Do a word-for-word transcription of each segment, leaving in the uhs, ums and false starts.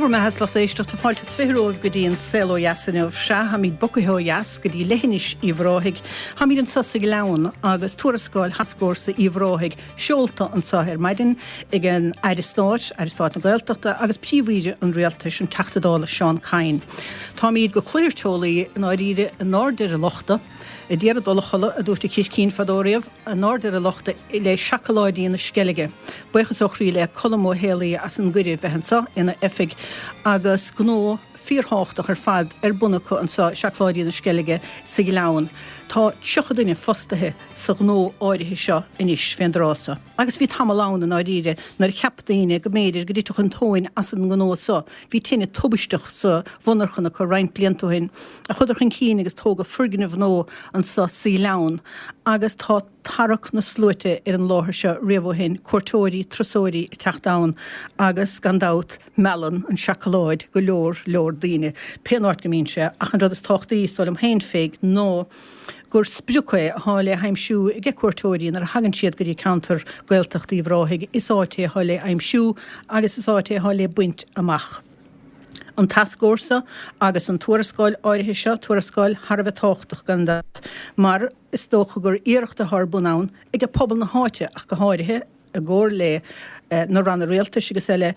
bhur mbeatha, a lucht éisteachta, fáilte is fiche romhaibh go dtí an Saol Ó Dheas inniu. Sea, táimid bogtha ó dheas go dtí leithinis Uíbh Ráthaigh. Táimid anseo sa Ghleann agus tuarascáil Thascfhórsa Uíbh Ráthaigh seolta anseo ar maidin ag an Aire Stáit, Aire Stáit na Gaeltachta agus Príomh-Aoire an Rialtais, an Teachta Dála Seán Kyne. Táimid go cluthair teolaí i ndáiríre in airde ar an lochta, a d'iarraidh dul a chodladh, a dúirt an Chiscín fadó riamh, in airde ar an lochta le seacláidí na Sceilge. Buíochas ó chroí le Colm Ó Héalaí as an gcuireadh bheith anseo ina oifig agus gnó fíorthábhachtach ar fad ar bun acu anseo, Seacláidí na Sceilge sa Ghleann. Tá tríocha duine fostaithe sa ghnó áirithe seo anois fén dtráth so. Agus bhí tamall ann i ndáiríre nuair a cheap daoine go mb'fhéidir go dtitfeadh an tóin as an ngnó so. Bhí tine tubaisteach sa mhonarchan acu roinnt blianta ó shin a chuadar chun cinn agus tógadh foirgneamh nua anso sa Ghleann agus tá tarrac na sluaite ar an láthair seo riamh ó shin, cuairteoirí, turasóirí ag teacht ann agus gan dabht meallann an seacláid go leor leor daoine pén áit go mbíonn sé ach an rud is tábhachtaí, is dóigh liom féin Pheig, ná gur sprioc é atá le haimsiú ag cuairteoirí nuair a thagann siad go dtí ceantar Gaeltacht Uíbh Ráthaigh, is áit é atá le aimsiú agus is áit é atá le baint amach. An tascfhórsa agus an tuarascáil áirithe seo, tuarascáil thar a bheith tábhachtach gan dabht, mar is dócha gur iarracht atá ar bun ann ag pobal na háite ach go háirithe, i gcomhar le na ranna rialtais agus eile,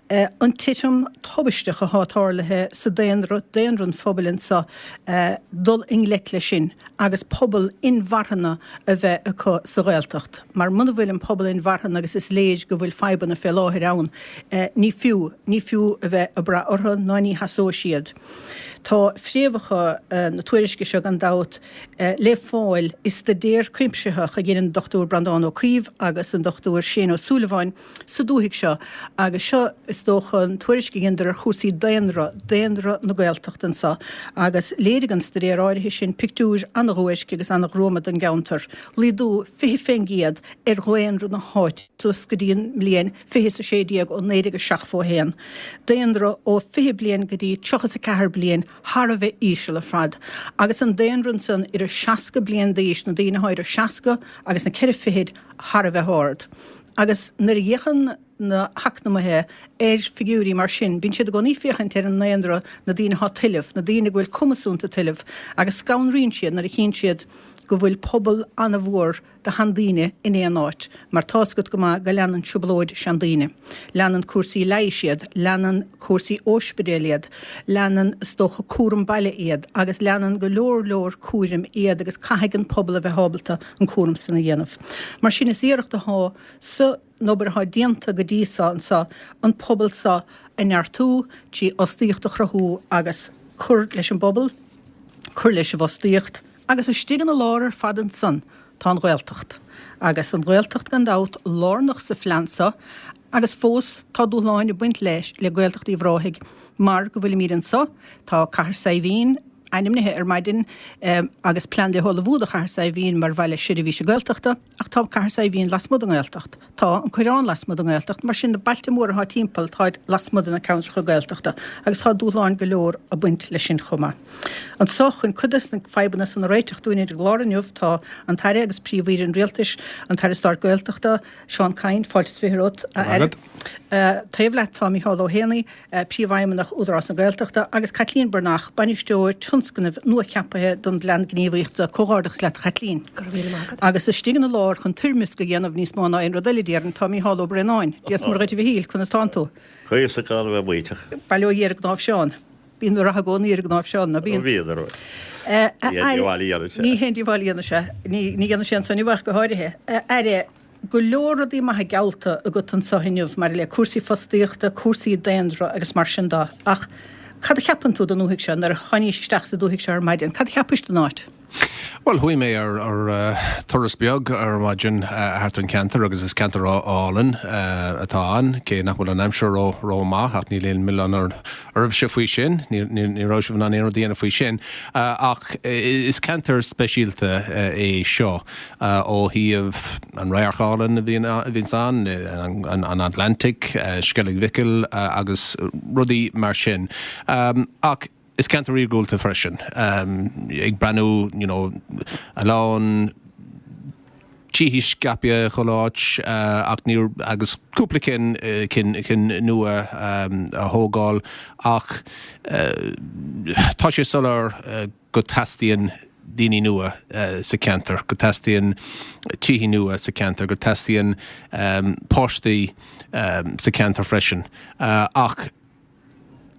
an titim tubaisteach atá tarlaithe sa daonra, daonra an phobail anseo, dul i ngleic leis sin agus pobal inmharthana a bheith acu sa Ghaeltacht. Mar muna bhfuil an pobal inmharthana, agus is léir go bhfuil fadhbanna fé láthair ann, ní fiú, ní fiú a bheith ag brath orthu ná ní sheasóidh siad. Tá fréamhacha na tuairisce seo gan dabht le fáil i staidéar cuimsitheach a dhein an Dochtúir Breandán Ó Caoimh agus an Dochtúir Shane Ó Súilleabháin sa dúthaigh seo agus seo is dócha an tuairisc a dheineadar ar chúrsaí daonra, daonra na Gaeltachta anseo agus léirigh an staidéar áirithe sin pictiúir ana-dhuairc agus ana-ghruama don gceantar, laghdú fiche fén gcéad ar dhaonra na háite suas go dtí an mbliain fiche is a sé déag ó naoi déag a seachtó a haon. Daonra ó fiche bliain go dtí tríocha is a ceathair bliain thar a bheith íseal ar fad. Agus an daonra ansan idir seasca bliain d'aois, na daoine atá idir seasca agus na ceithre fichid thar a bheith ard. Agus nuair a fhéachann na heacnamaithe ar figiúirí mar sin, bíonn siad i gcónaí ag féachaint ar an ndaonra, na daoine atá ag tuilleamh, na daoine go bhfuil cumas iontu tuilleamh, agus scanraíonn siad nuair a chíonn siad go bhfuil pobal an-mhór de sheandaoine in aon áit, mar tá's agat go maith go leanann trioblóid seandaoine. Leanann cúrsaí leighis iad, leanann cúrsaí óispidéil iad, leanann, is dócha, cúram baile iad, agus leanann go leor leor cúraim iad agus caithfidh an pobal a bheith ábalta an cúram san a dhéanamh. Mar sin is iarracht athá san obair athá déanta go dtí so anso an pobal so a neartú trí fhostaíocht a chruthú agus cur leis an bpobal, cur leis an bhfostaíocht. Agus istigh ina lár ar fad ansan tá an Ghaeltacht. Agus an Ghaeltacht gan dabht lárnach sa phlean so agus fós tá dúshláin ag baint leis, le Gaeltacht Uíbh Ráthaigh mar go bhfuilimíd anso, tá Cathair Saidhbhín ainmnithe ar maidin agus plean le hullmhú do Chathair Saidhbhín mar bhaile seirbhíse Gaeltachta ach tá Cathair Saidhbhín lasmuigh den nGaeltacht. Tá an Coireán lasmuigh den nGaeltacht, mar sin na bailte móra atá timpeall táid lasmuigh de na ceantracha Gaeltachta agus tá dúshláin go leor ag baint leis sin chomh maith. Anso, chun cuid des na fadhbanna san a réiteach dúinn ar an gclár inniu, tá an tAire agus Príomh-Aoire an Rialtais, an tAire Stáit Gaeltachta, Seán Kyne, fáilte is fiche romhat, a Aire. Taobh leat tá Micheál Ó hÉanaí, Príomhfheidhmeannach Údarás na Gaeltachta, agus Caitlín Breathnach, Bainisteoir Tionscnaimh nuacheaptha don bPlean Gníomhaíochta. Comhghairdeachas leat, a Chaitlín. Go raibh míle maith agat. Agus istigh ina lár chun toirmeasc a dhéanamh níos mó ná aon rud eile, déarfainn, tá Micheál Ó Braonáin. Dia is Muire dhuit a Mhichíl, conas tánn tú? Cuíosach gan a bheith maíteach. Bail ó Dhia ar a gcnámh Seán. Bíonn rath i gcónaí ar a gcnámh Seán, ná bíonn? Bíonn, ar Ní haon díobháil a dhéanann sé. Ní haon díobháil a dhéanann sé. Ní dhéanann sé ansan inniu ach go háirithe. A Aire, go leor rudaí maithe geallta agat anso inniu maidir le cúrsaí fostaíochta, cúrsaí daonra agus mar sin de, ach cad a cheapann tú den dúthaigh seo nuair a tháinís isteach sa dúthaigh seo ar maidin? Cad a cheapais den áit? Bhuel, chuaigh mé ar ar turas beag ar maidin thart an ceantar agus is ceantar álainn atá ann, cé nach bhfuil an aimsir ró rómhaith ach níl aon mhilleán oraibhse faoi sin, ní raibh sibh in ann aon rud a dhéanamh faoi sin. Ach is ceantar speisialta é seo ó thaobh an radharc álainn a bhíonn a bhíonns ann, an Atlantic, Sceilg Mhichíl agus rudaí mar sin. Ach is ceantar iargúlta freisin. Ag breathnú you know, a lán tithe scaipthe chuile áit ach níor agus cúpla cinn cinn cinn nua a thógáil ach tá sé soiléir go teastaíonn daoine nua sa cheantar, go teastaíonn tithe nua sa cheantar, go teastaíonn páistí sa cheantar freisin. Ach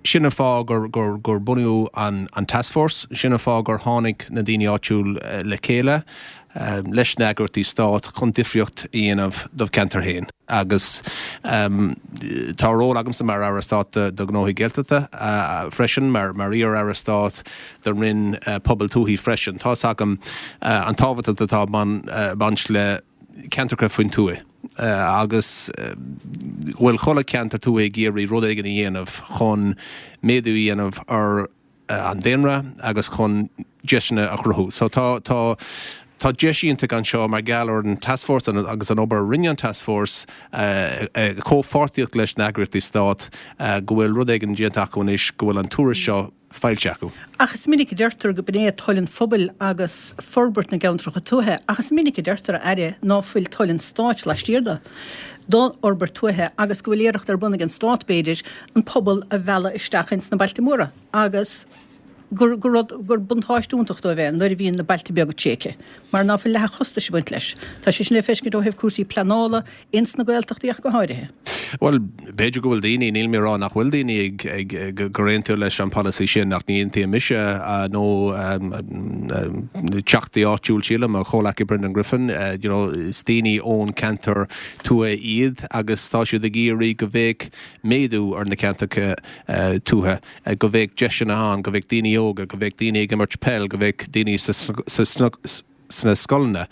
sin an fáth gur gur gur bunaíodh an an taskforce, sin an fáth gur tháinig na daoine áitiúil le chéile leis na heagraíochtaí stáit chun difríocht a dhéanamh do cheantar féin. Agus tá ról agamsa mar Aire Stáit do Ghnóthaí Gaeltachta freisin, mar mar iar-Aire Stáit do Roinn Pobal Tuaithe freisin. Tá's agam an tábhacht atá baint le ceantracha faoin tuath agus go bhfuil chuile cheantar tuaithe ag iarraidh rud éigin a dhéanamh chun méadú a dhéanamh ar an daonra agus chun deiseanna a chruthú. So tá tá tá deis iontach anseo mar gheall ar an taskforce agus an obair a rinne an taskforce i comhpháirtíocht leis na heagraíochtaí stáit go bhfuil rud éigin déanta acu anois go bhfuil an tuairisc seo foilsithe acu. Ach is minic a deirtear go b'in é toil an phobail agus forbairt na gceantracha tuaithe, ach is minic a deirtear, a Aire, ná fuil toil an stáit laistiar de, don fhorbairt tuaithe agus go bhfuil iarracht ar bun ag an stát, b'fhéidir, an pobal a mhealladh isteach ins na bailte móra agus gur gur rud gur buntáiste iontach dóibh é nuair a bhíonn na bailte beaga tréigthe mar ná fuil leath an chostais ag baint leis. Tá sé sin le feiscint ó thaobh cúrsaí pleanála ins na Gaeltachtaí ach go háirithe. Bhuel, b'fhéidir go bhfuil daoine, níl mé ag rá nach bhfuil daoine ag, ag, ag, gur aontaíodh leis an polasaí sin ach ní aontaíonn mise nó teachtaí áitiúil sílim, mo chomhleacaí Brendan Griffin, you know, is daoine ón ceantar tuaithe iad agus tá siad ag iarraidh go bheadh méadú ar na ceantracha tuaithe, go bheadh deiseanna ann, go bheadh daoine óga, go bheadh daoine ag imirt peil, go bheadh daoine sa, sa, sna scoileanna,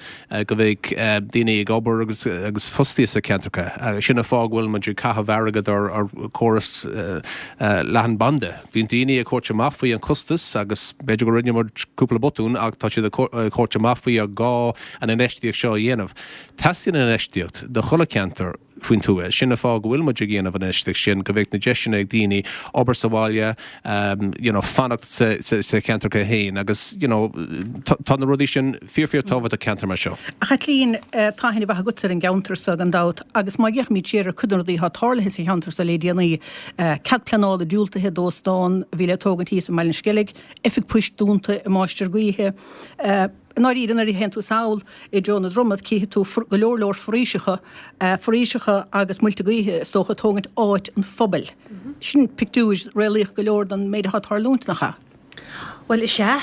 go mbeidh daoine ag obair agus agus fostaithe sa cheantracha. Sin an fáth go bhfuil muid ag caitheamh airgead ar ar chóras leathanbhanda. Bhí daoine ag tabhairt amach faoi an costas agus b'fhéidir go rinne muid cúpla botún ach tá siad ag tabhairt amach faoi ar gá an infheistíocht seo a dhéanamh. Teastaíonn an infheistíocht do chuile cheantar faoin tuath. Sin an fáth go bhfuil muid ag dhéanamh an infheistíocht sin, go mbeidh na deiseanna ag daoine obair sa bhaile, you know, fanacht sa, sa, sa cheantracha féin agus, you know, tá na rudaí sin fíor fíor tábhachtach do cheantar mar seo. A Chaitlín, tá aithne mhaith agatsa ar an gceantar seo gan dabht agus má fhéachaimid siar ar cuid de na rudaí atá tarlaithe sa cheantar seo le déanaí, cead pleanála diúltaithe d'óstán a bhí le tógaint thíos i mBaile an Sceilg, oifig poist dúnta i Máistir Gaoithe, I ndáiríre, nuair a théann tú sall i dtreo na Dromad, cífidh tú go leor leor foraoiseacha, foraoiseacha agus muilte gaoithe, is dócha, ag tógaint áit an phobail. Sin pictiúr réalaíoch go leor den méid atá ag tarlúint, nach ea? Bhuel, is ea.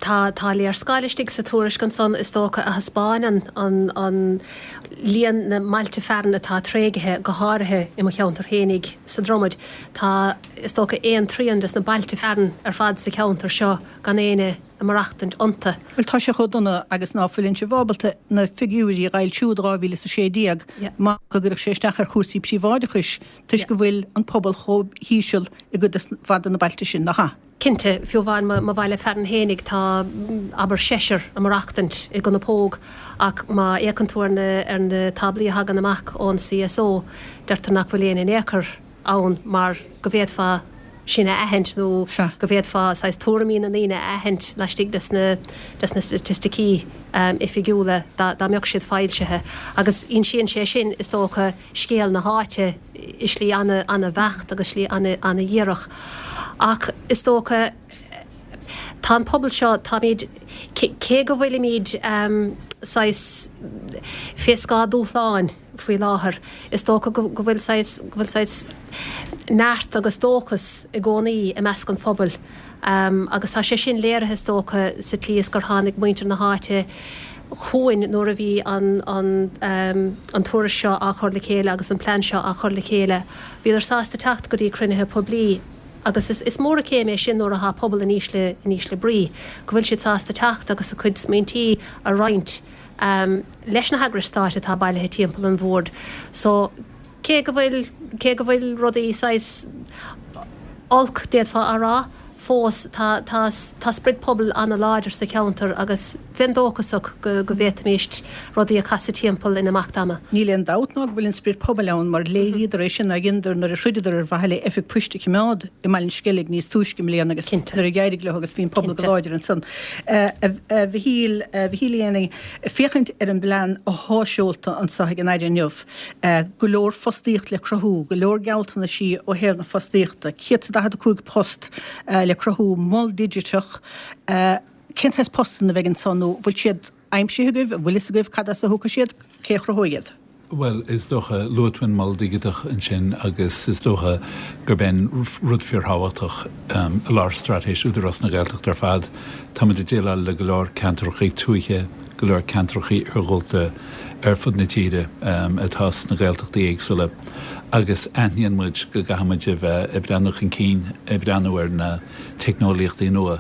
Tá, tá léarscáil istigh sa tuairisc ansan, is dócha, a thaispeáineann an, an líon na mbailte fearainn atá tréigthe, go háirithe i mo cheantar fhéinig sa Dromad. Tá, is dócha, aon trian des na bailte fearainn ar fad sa cheantar seo gan éinne ag maireachtaint iontu. Bhuel, tá sé chomh dona agus ná fuileann sibh ábalta na figiúirí a fhoilsiú do dhá mhíle is a sé déag mar go gcuirfeadh sé isteach ar chúrsaí príobháideachais toisc go bhfuil an pobal chomh híseal i gcuid mhaith de na bailte sin, nach ea? Cinnte, fiú amháin mo bhaile fearainn fhéinig tá, abair, seisear ag maireachtaint i gConapóg ach má fhéachann tú ar na ar na táblaí a thagann amach ón C S O deirtear nach bhfuil éinne in aon chor ann mar go bhféadfá sin a aithint nó go bhféadfá saghas tuairimí na ndaoine a aithint laistigh des na des na staitisticí oifigiúla dá dá mbeadh siad foilsithe. Agus insíonn sé sin, is dócha, scéal na háite i slí ana ana-bheacht agus slí ana ana-dhíreach. Ach is dócha tá an pobal seo, táimid, cé go bhfuilimid saghas fé scáth dúshláin faoi láthair, is dócha go bhfuil saghas, go bhfuil saghas neart agus dóchas i gcónaí i measc an phobail agus tá sé sin léirithe is dócha sa tslí is gur tháinig muintir na háite chugainn nuair a bhí an, an, an tuairisc seo á chur le chéile agus an plean seo á chur le chéile. Bhíodar sásta teacht go dtí cruinnithe poiblí agus is, is mór an chéim é sin nuair atá pobal in ísle, in ísle brí, go bhfuil siad sásta teacht agus a gcuid smaointí a roinnt leis na heagrais stáit atá bailithe timpeall an bhoird. So, cé go bhfuil, cé go bhfuil rudaí saghas olc, d'fhéadfá a rá, fós tá, tá, tá sprid pobail an-láidir sa cheantar agus bheinn dóchasach go go bhféadfaimíst rudaí a chasadh timpeall in imeacht ama. Níl aon dabht ná go bhfuil an spiorad pobail ann mar léiríodar é sin ag Inder nuair a throideadar ar mhaithe le oifig poist a choimeád i mBaile an Sceilg níos túisce i mbliana agus nuair a d'éirigh leo agus bhí an pobal go láidir ansan. A Mhichíl, a Mhichíl Uí Éanaí, féachaint ar an bplean athá seolta anso ag an Aire inniu, go leor fostaíocht le cruthú, go leor gealltanaisí ó thaobh na fostaíochta, céad is daichead a cúig post le cruthú, mol digiteach, cén saghas postanna a bheidh ansan nó bhfuil siad aimsithe agaibh, an bhfuil fhios agaibh cad as a thiocfaidh siad, cé a chruthóidh iad? Bhuel, is dócha, luaigh tú an Mol Digiteach ansin agus is dócha gurb é rud fíorthábhachtach i lár straitéis Údarás na Gaeltachta ar fad. Tá muid ag déileáil le go leor ceantracha tuaithe, go leor ceantracha iargúlta ar fud na tíre atá sna Gaeltachtaí éagsúla agus aithníonn muid go gcaithfidh muid a bheith ag breathnú chun cinn, ag breathnú ar na teicneolaíochtaí nua.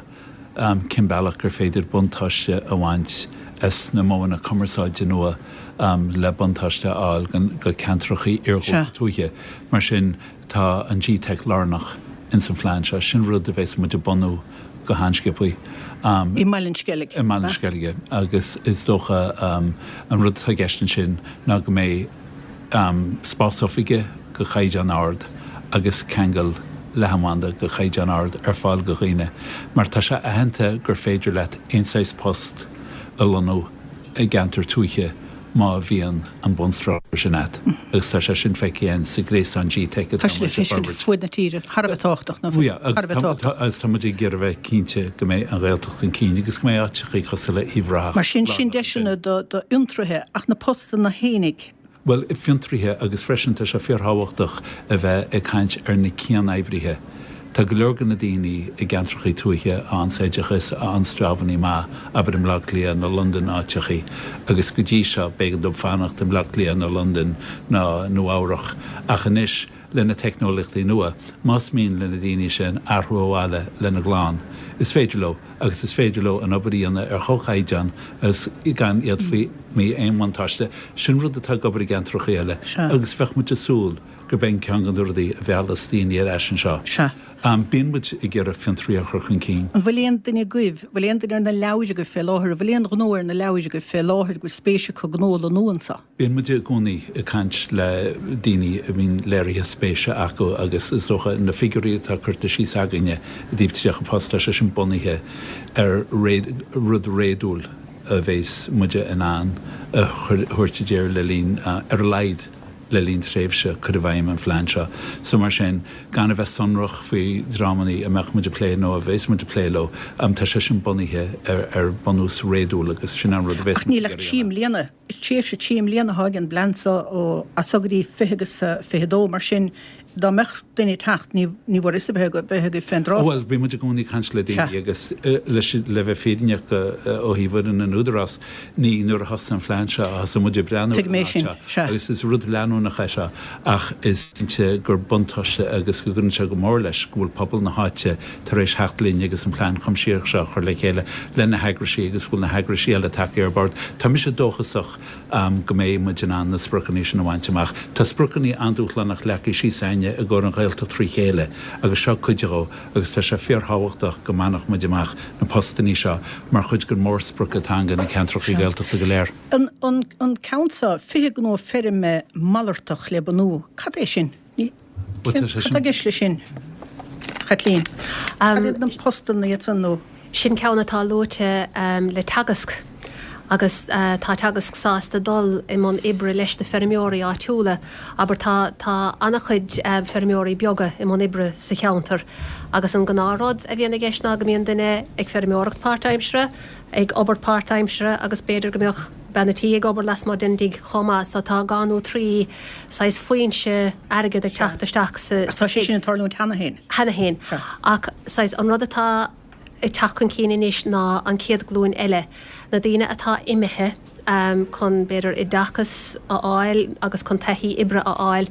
Cén bealach gur féidir buntáiste a bhaint as na modhanna cumarsáide nua le buntáiste a fháil go ceantracha iargúlta tuaithe. Mar sin, tá an G-Teic lárnach ins an phlean seo. Sin rud a bheas muid ag bunú go han-sciobtha. I mBaile an Sceilg. I mBaile an Sceilg. Agus is dócha an rud atá i gceist ansin ná go mbeidh spás oifige go chaighdeán ard agus ceangal leathanbhanda go chaighdeán ard ar fáil go dhaoine mar tá sé aitheanta gur féidir leat aon saghas post a lonnú i gceantar tuaithe má bhíonn an bunstruchtúr sin agat agus tá sé sin feicthe againn sa ghréasán G-Teic atá muid ag forbairt. Tá sé fud na tíre thar a bheith tábhachtach, nó thar a bheith tábhachtach. Agus tá muid ag iarraidh a bheith cinnte go mbeidh an Ghaeltacht chun cinn agus go mbeidh áiteachaí cosúil le Uíbh Ráthach Mar sin, sin deiseanna do fhiontraithe ach na postanna fhéinig. Bhuel, fiontraithe agus freisin tá sé fíorthábhachtach a bheith ag caint ar na cian-oibrithe. Tá go leor de na daoine i gceantrachaí tuaithe a fhaigheanns oideachas, a fhaigheanns jabannaí maith, abair i mBleá Cliath nó Londain áiteachaí, agus go dtí seo b'éigean dóibh fanacht i mBleá Cliath nó Londain nó Nua Eabhrach. Ach anois, le na teicneolaíochtaí nua, más mian le na daoine sin athrú abhaile lena gclann, is féidir leo agus is féidir leo an obair a dhéanamh ar chomhchaighdeán agus gan iad faoi aon bhuntáiste. Sin rud atá ag obair i gceantracha eile agus bheadh muid ag súil gurb é ceann de na rudaí a mheallas daoine ar ais anseo. Bíonn muid ag iarraidh fiontraíocht a chur chun cinn. An bhfuil aon duine agaibh, bhfuil aon duine ar na leabhair agaibh fé láthair, an bhfuil aon ghnó ar na leabhair agaibh fé láthair go bhfuil spéis acu gnó a lonnú anseo? Bíonn muid i gcónaí ag caint le daoine a mbíonn léirithe spéise acu agus is dócha na figiúirí atá curtha síos againne i dtaobh tríocha post, tá sé sin bunaithe ar rud réadúil a bheas muide in ann a thabhairt i dtír le linn, ar a laghad le linn tréimhse cur i bhfeidhm an phlean seo. So mar sin, gan a bheith sonrach faoi dhreamanna a mbeadh muid ag plé nó a bheas muid ag plé leo, tá sé sin bunaithe ar bunús réadúil agus sin an rud a bheas Ach níl ach trí mbliana. Is tréimhse trí mbliana atá ag an bplean seo ó as so go dtí fiche agus fiche dó, mar sin dá mbeadh duine ag teacht ní ní bhfuair fhios a bheith bheith agaibh fén dtráth. Bhuel, bhí muid i gcónaí ag caint le daoine agus leis le bheith fírinneach ó thaobh fhoireann an Údarás, ní nuair a thosaigh an phlean seo a thosaigh muid ag breathnú ar Tuigim an é áit sin, seo sea. agus is rud leanúnach é seo ach is cinnte gur buntáiste agus go gcuireann sé go mór leis go bhfuil pobal na háite tar éis theacht linn agus an plean cuimsitheach seo a chur le chéile le na heagraisí agus go bhfuil na heagraisí eile tagtha ar bord. Tá mise dóchasach go mbeidh muid in ann na spriocanna sin a bhaint amach. Tá spriocanna an-dúshlánach leagtha síos againne i gcomhair an Ghaeltacht trí chéile agus seo cuid dhó agus tá sé fíorthábhachtach go mbainfeadh muid amach na postannaí seo mar chuid den mhórsprioc atá againn na ceantracha Gaeltachta go léir. An an ceann seo, fiche gnó feirme malartach le bunú, cad é sin? Ní Bhuel, tá sé Cad sin. tá i gceist leis sin, Chaitlín? Cad iad na postanna iad san nó? Sin ceann atá luaite le Teagasc agus tá Teagasc sásta dul i mbun oibre leis na feirmeoirí áitiúla. Abair tá tá an-chuid feirmeoirí beaga i mbun oibre sa cheantar agus an gnáthrud a bhíonn i gceist ná go mbíonn duine ag feirmeoireacht páirtaimseartha, ag obair páirtaimseartha agus b'fhéidir go mbeadh bean a' tí ag obair lasmuigh den dtigh chomh maith so tá dhá nó trí saghas foinse airgid ag teacht isteach sa Tá sé tigh. sin ag tarlúint cheana féin. Cheana féin. Ach saghas an rud atá ag teacht chun cinn anois ná an chéad ghlúin eile, na daoine atá imithe chun, b'fhéidir, oideachas a fháil agus chun taithí oibre a fháil,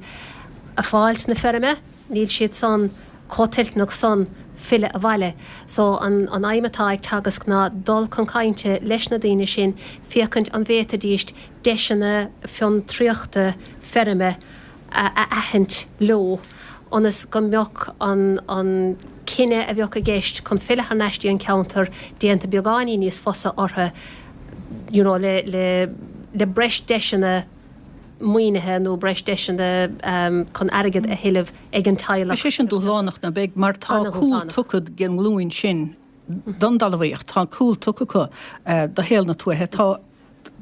ag fáilt na feirme, níl siad san chomh toilteanach san filleadh abhaile. So an an aidhm atá ag Teagasc ná dul chun cainte leis na daoine sin, féachaint an bhféadfaidíst deiseanna fiontraíochta feirme a aithint leo ionas go mbeadh an an cinneadh a bheadh i gceist chun filleadh thar n-ais dtí an ceantar déanta beagáinín níos fusa orthu you know, le, le, le breis deiseanna maoinithe nó breis deiseanna um, chun airgead a thuilleamh ag an teaghlach. Is é sin dúshlánach ná beag mar tá cúl tugtha ag an nglúin sin don talmhaíocht, tá cúl tugtha acu uh, do shaol na tuaithe, tá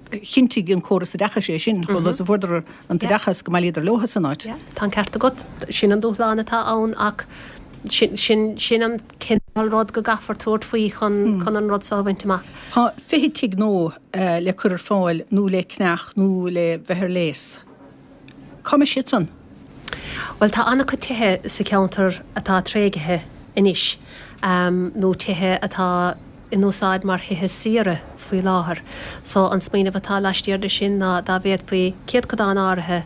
chinntigh an córas oideachais é sin, chomh luath is a fuaireadar an t-oideachas go mbailíodar leo san áit. Tá an ceart agat, sin an dúshlán atá ann ach sin, sin, sin an cineál rud go gcaithfear tabhairt faoi chun, chun an rud seo a bhaint amach. Tá fiche tigh nua uh, le cur ar fáil nó le ceannach nó le bheith ar léas. Cá mbeidh siad san? Well tá an-chuid tithe sa cheantar atá tréigthe anois um, nó tithe atá in úsáid mar thithe saoire faoi láthair. So an smaoineamh atá laistiar de sin ná dá bhféadfaí céatadán áirithe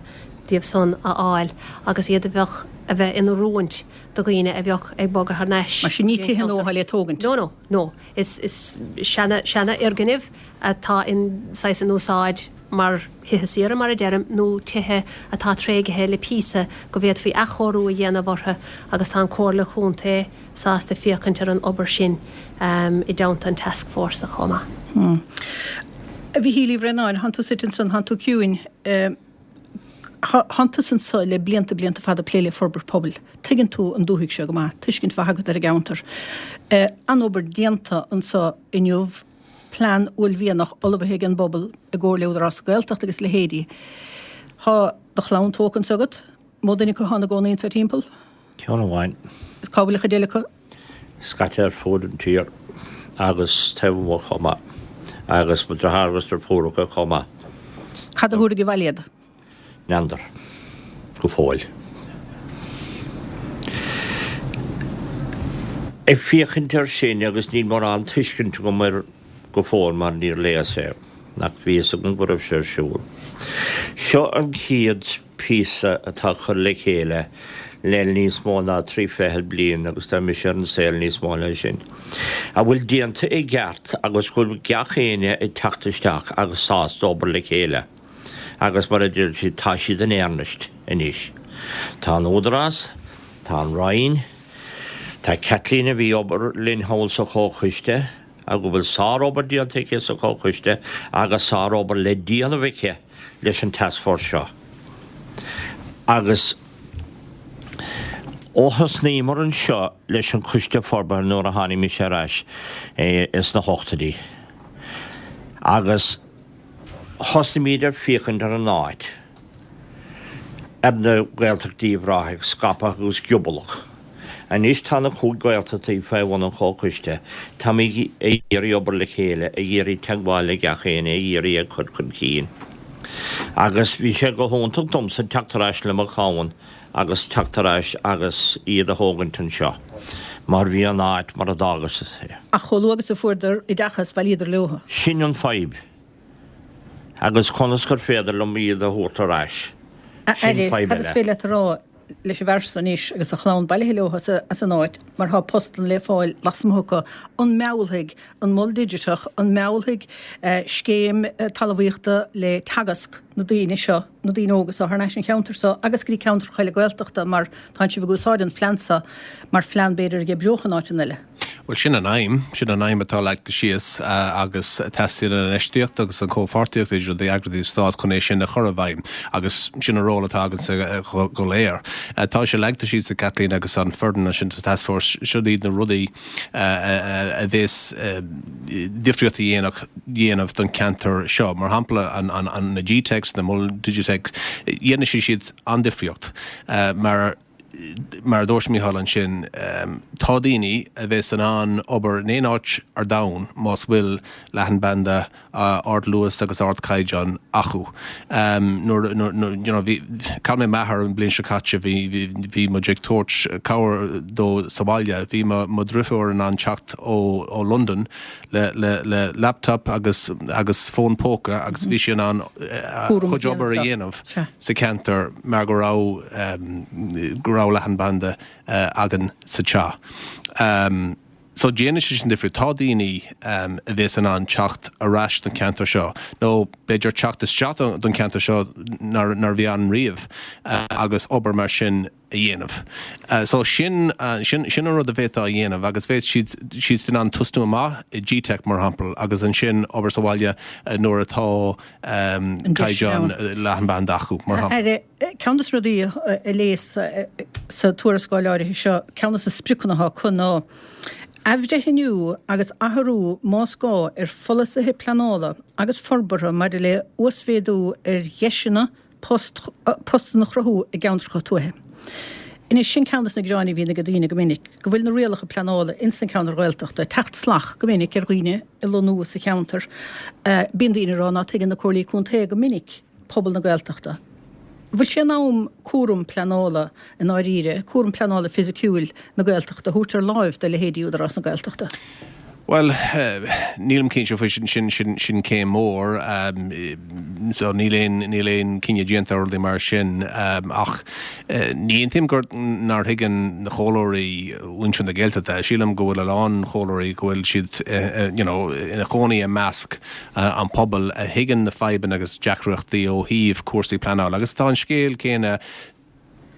díobh san a fháil agus iad a bheadh a bheith inoiriúint do dhaoine a bheadh ag bogadh thar n-ais. Mar sin ní tithe nua le tógaint? No, no, no. Is, is seana, seana fhoirgnimh atá in saghas in úsáid mar thithe saoire mar a deirim nó tithe atá tréigthe le píosa go bhféadfaí athchóiriú a dhéanamh orthu agus tá an Chomhairle Chontae sásta féachaint ar an obair sin um, i dteannta an taskforce chomh maith. Hmm. A Mhichíl Uí Bhraonáin, thánn tú suite ansan, thánn tú ciúin, thánn tú anso le blianta blianta fada plé le forbairt pobail. Tuigeann tú an dúthaigh seo go maith, tuiscint mhaith agat ar an gceantar. An-obair déanta anso inniu, plean uaillmhianach ullmhaithe ag an bpobal i gcomhar le Údarás na Gaeltachta agus leithéidí. Tá do chlann tógtha anso agat, mó duine acu atá ina gcónaí anso timpeall? Ceann amháin. Is cá bhfuil an chuid eile acu? Scaite ar fud an tír agus taobh amuigh chomh maith. Agus mo dheartháir agus deirfiúracha chomh maith. Cad a thabharfaidh abhaile iad? N'fheadar. Go fóill. Ag féachaint air sin agus níl mórán tuiscint agam air go fóill mar níor léas é, ach bhí fhios agam go raibh sé ar siúl. Seo an chéad píosa atá curtha le chéile le níos mó ná trí fichead bliain agus tá mise ar an saol níos mó ná sin, a bhfuil déanta i gceart agus go bhfuil gach éinne ag teacht isteach agus sásta obair le chéile. Agus mar a deir siad, tá siad in earnest anois. Tá an Údarás, tá an Roinn, tá Kathleen a bhí obair linn thall sa Chomhchoiste, go bhfuil sárobair déanta aici sa Chomhchoiste agus sárobair le déanamh aici leis an taskforce seo. Agus ó thosnaíomar anseo leis an Choiste Forbartha nuair a tháinig mise ar ais sna hochtóidí agus thosnaímid ar féachaint ar an áit, ar na Gaeltachtaí Uíbh Ráthaigh scaipthe agus giobalach. Anois tá na cúig Gaeltachtaí fé bhun an Chomhchoiste. Táimid ag iarraidh obair le chéile, ag iarraidh teagmháil le gach éinne, ag iarraidh é cur chun cinn. Agus bhí sé go hiontach domsa teacht ar ais le mo chlann agus teacht ar ais agus iad a thógaint anseo, mar bhí an áit mar a d'fhágas é. Ach chomh luath agus a fuaireadar oideachas, bhailíodar leo. Sin an fadhb. Agus conas gur féidir liom iad a thabhairt ar ais? A Sin Aire, fadhb cad is eile. féidir leat a rá leis an bhfear so anois agus a chlann bailithe leo as an áit mar tá postanna le fáil lasmuigh acu, an meallfaidh an Mol Digiteach, an meallfaidh scéim talmhaíochta le Teagasc na daoine seo, na daoine óga seo thar n-ais an cheantar seo agus go dtí ceantracha eile Gaeltachta mar tánn sibh ag úsáid an phlean seo mar phlean b'fhéidir a dh'oibreodh in áiteanna eile. Bhuel, sin an aidhm, sin an aidhm atá leagtha síos agus teastaíonn an infheistíocht agus an chomhpháirtíocht idir na heagraíochtaí stáit chun é sin a chur i bhfeidhm agus sin an ról atá againne go léir. Tá sé leagtha síos ag Kathleen agus an foireann ansin sa Taskforce, siod iad na rudaí a bheas difríocht a dhéanamh don cheantar seo. Mar shampla, na G-Techs, na Moil Digiteacha, dhéanfaidh siad an-difríocht mar mar a dúirt Mícheál ansin, tá daoine a bheas in ann obair in aon áit ar domhan más bhfuil leathanbhanda ardluas agus ardchaighdeán acu. Nuair, you know, bhí, chaill mé m'athair an bhliain seo caite, bhí, bhí muid ag tabhairt cabhair dó sa bhaile, bhí mo, mo dhrifiúr in ann teacht ó, ó Londain le, le, le laptop agus, agus fón póca agus bhí sí in ann a cuid obair a dhéanamh sa cheantar mar go raibh, go raibh leathanbhanda againn sa teach. So déanann sé sin difríocht. Tá daoine a bheas in ann teacht ar ais don cheantar seo nó b'fhéidir teacht isteach don cheantar seo nár bhí ann riamh agus obair mar sin a dhéanamh. So sin sin sin an rud a bhféadfá a dhéanamh agus bheadh siad siad in ann tosnú amach i gteic mar shampla agus ansin obair sa bhaile nuair atá caighdeán leathanbhanda acu mar shampla. Ceann de na rudaí a léas sa tuarascáil áirithe seo, ceann de na spriocanna atá acu ná athbhreithniú agus athrú más gá ar pholasaithe pleanála agus forbartha maidir le uasmhéadú ar dheiseanna postanna a chruthú i gceantracha tuaithe. Anois, sin ceann de na gearáin a bhíonn ag daoine go minic, go bhfuil na rialacha pleanála ins na ceantair Ghaeltachta ag teacht salach go minic ar dhaoine ag lonnú sa cheantar. Bíonn daoine ag rá ná tuigeann na comhairlí contae go minic pobal na Gaeltachta. Bhfuil sé in am cúram pleanála i ndáiríre, cúram pleanála fisiciúil na Gaeltachta a thabhairt ar láimh do leithéidí Údarás na Gaeltachta? Bhuel, nílim cinnte faoi sin, sin, sin, sin céim mhór. So níl aon, níl aon cinneadh déanta ar rudaí mar sin. Ach ní aontaím gur, nár thuigeann na comhairleoirí mhuintir na Gaeltachta. Sílim go bhfuil a lán comhairleoirí go bhfuil siad you know ina chónaí i measc an pobail a thuigeann na fadhbanna agus deacrachtaí ó thaobh cúrsaí pleanála. Agus tá an scéal céanna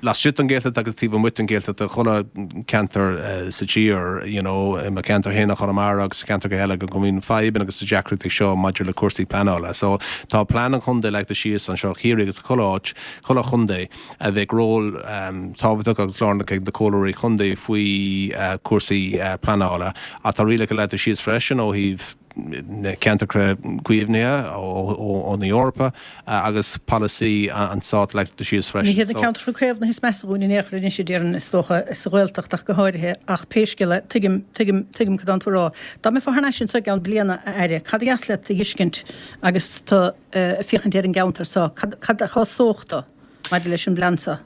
laistigh den Ghaeltacht agus taobh amuigh den Ghaeltacht i chuile ceantar sa tír, you know, i mo cheantar féin i Chonamara agus ceantracha eile go mbíonn fadhbanna agus deacrachtaí seo maidir le cúrsaí pleanála. So tá plean an chontae leagtha síos anseo Chiarraí agus chuile áit, chuile chontae a bheidh ról tábhachtach agus lárnach ag na comhairleoirí contae faoi cúrsaí pleanála. Ach tá rialacha leagtha síos freisin ó thaobh na ceantracha caomhnaithe ó na Eorpa agus polasaí an Stáit leagtha síos freisin. Ní hiad na ceantracha caomhnaithe is measa dhúinn in aon chor anois a déarfainn, is dócha, sa Ghaeltacht ach go háirithe, ach pé scéal é, tuigim, tuigim, tuigim cad tánn tú a rá. Dá mbeifeá thar n-ais anseo i gceann bliana, a Aire, cad a dheas leat a fheiscint agus tú ag féachaint ar an gceantar seo? Cad, cad a shásódh tú maidir leis an bplean seo?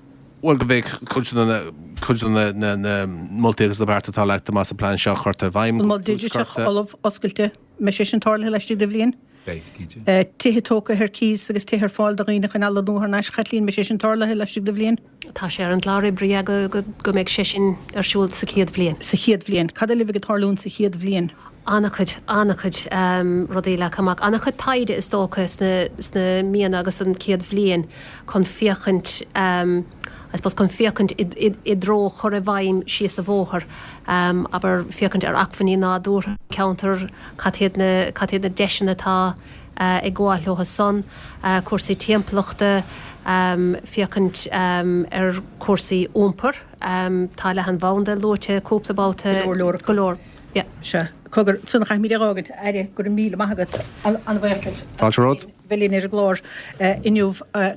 Bhuel, go mbeidh cuid de na, cuid de na, na, na moltaí agus na bearta atá leagtha amach sa bplean seo curtha i bhfeidhm. An mol digiteach ullamh, oscailte, mbeidh sé sin tarlaithe laistigh de bhliain? Beidh, cinnte. Tithe tógtha ar cíos agus tithe ar fáil do dhaoine chun lonnú thar n-ais, Chaitlín, mbeidh sé sin tarlaithe laistigh de bhliain? Tá sé ar an gclár oibre go, go, go mbeidh sé sin ar siúl sa chéad bhliain. Sa chéad bhliain. Cad eile a bheidh ag tarlúint sa chéad bhliain? An-chuid, an-chuid rudaí leagtha amach. An-chuid taighde is dócha sna, sna míonna agus an chéad bhliain chun féachaint, I suppose chun féachaint i, i, i dtreo chur i bhfeidhm síos an bhóthar, abair féachaint ar acmhainní nádúrtha an cheantair, cad iad na, cad iad na deiseanna atá ag gabháil leo san, cúrsaí timpeallachta, féachaint ar chúrsaí iompair, tá leathanbhanda luaite cúpla babhta, Go leor leor acu. Go leor. Yeah. Sea. Cogar, san chaithfimid é a fhágaint. Aire, go raibh míle maith agat. An-bhuíoch duit. Fáilte romhat. Bheith linn ar an gclár inniu.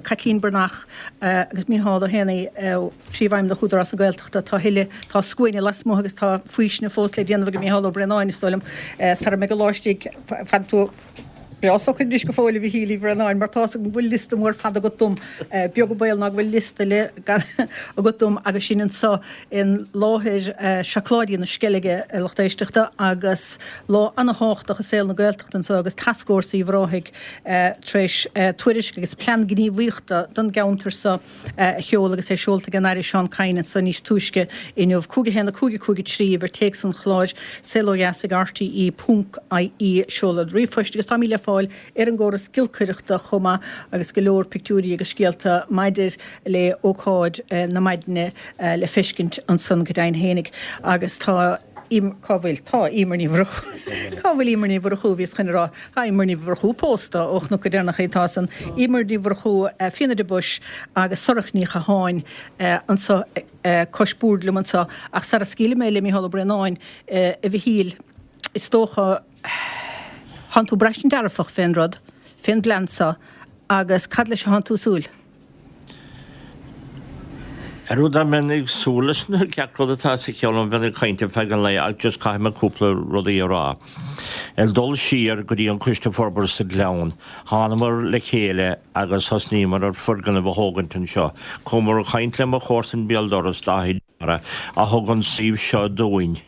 Caitlín Breathnach agus Micheál Ó hÉanaí, Príomhfheidhmeannach Údarás na Gaeltachta. Tá thuilleadh, tá scuaine lasmuigh agus tá faoisine fós le déanamh ag Micheál Ó Braonáin, is dóigh liom, sara mbeidh an lá istigh. Fan tú breá socair anois go fóill, a Mhichíl Uí Bhraonáin, mar tá's agam go bhfuil liosta mór fada agat dom. Beag an baol ná go bhfuil liosta eile agat dom agus sinn anseo i láthair Seacláidí na Sceilge, a lucht éisteachta, agus lá ana-thábhachtach i saol na Gaeltachta anseo agus Tascfhórsa Uíbh Ráthaigh tar éis tuairisc agus plean gníomhaíochta don gceantar seo a sheoladh agus é seolta ag an Aire Seán Kyne anseo níos túisce inniu. Cúig a haon a cúig a cúig a trí uimhir téacs an chláir, Saol Ó Dheas ag rte ponc ie seoladh ríomhphoist agus táimid le fáil ar an gcóras giolcaireachta chomh maith agus go leor pictiúirí agus scéalta maidir le ócáid na maidine le feiscint ansan go deimhin fhéinig agus tá Cá bhfuil? Tá Emer Ní Mhurchú. Cá bhfuil Emer Ní Mhurchú? Bhíos chun a rá, tá Emer Ní Mhurchú pósta ó chonac go deireanach í. Tá san. Emer Ní Mhurchú, Fíona de Buis agus Sorcha Ní Chatháin anseo cois boird liom anseo. Ach sara scaoilfidh mé le Mícheál Ó Braonáin, a Mhichíl, is dócha, thánn tú ag braistint dearfach fén rud, fén bplean seo agus cad leis a thánn tú ag súil? Ar rud dá mbeinn ag súil leis na gach rud atá sa cheann agam bheinn ag caint ar feadh an lae ach just caithfidh mé cúpla rudaí a rá. Ag dul siar go dtí an Coiste Forbartha sa Ghleann, thánamar le chéile agus thosnaíomar ar foirgneamh a thógaint anseo. Chuamar ag caint le mo chomharsan béal dorais, Dáithí Dara, a thug an suíomh seo dúinn.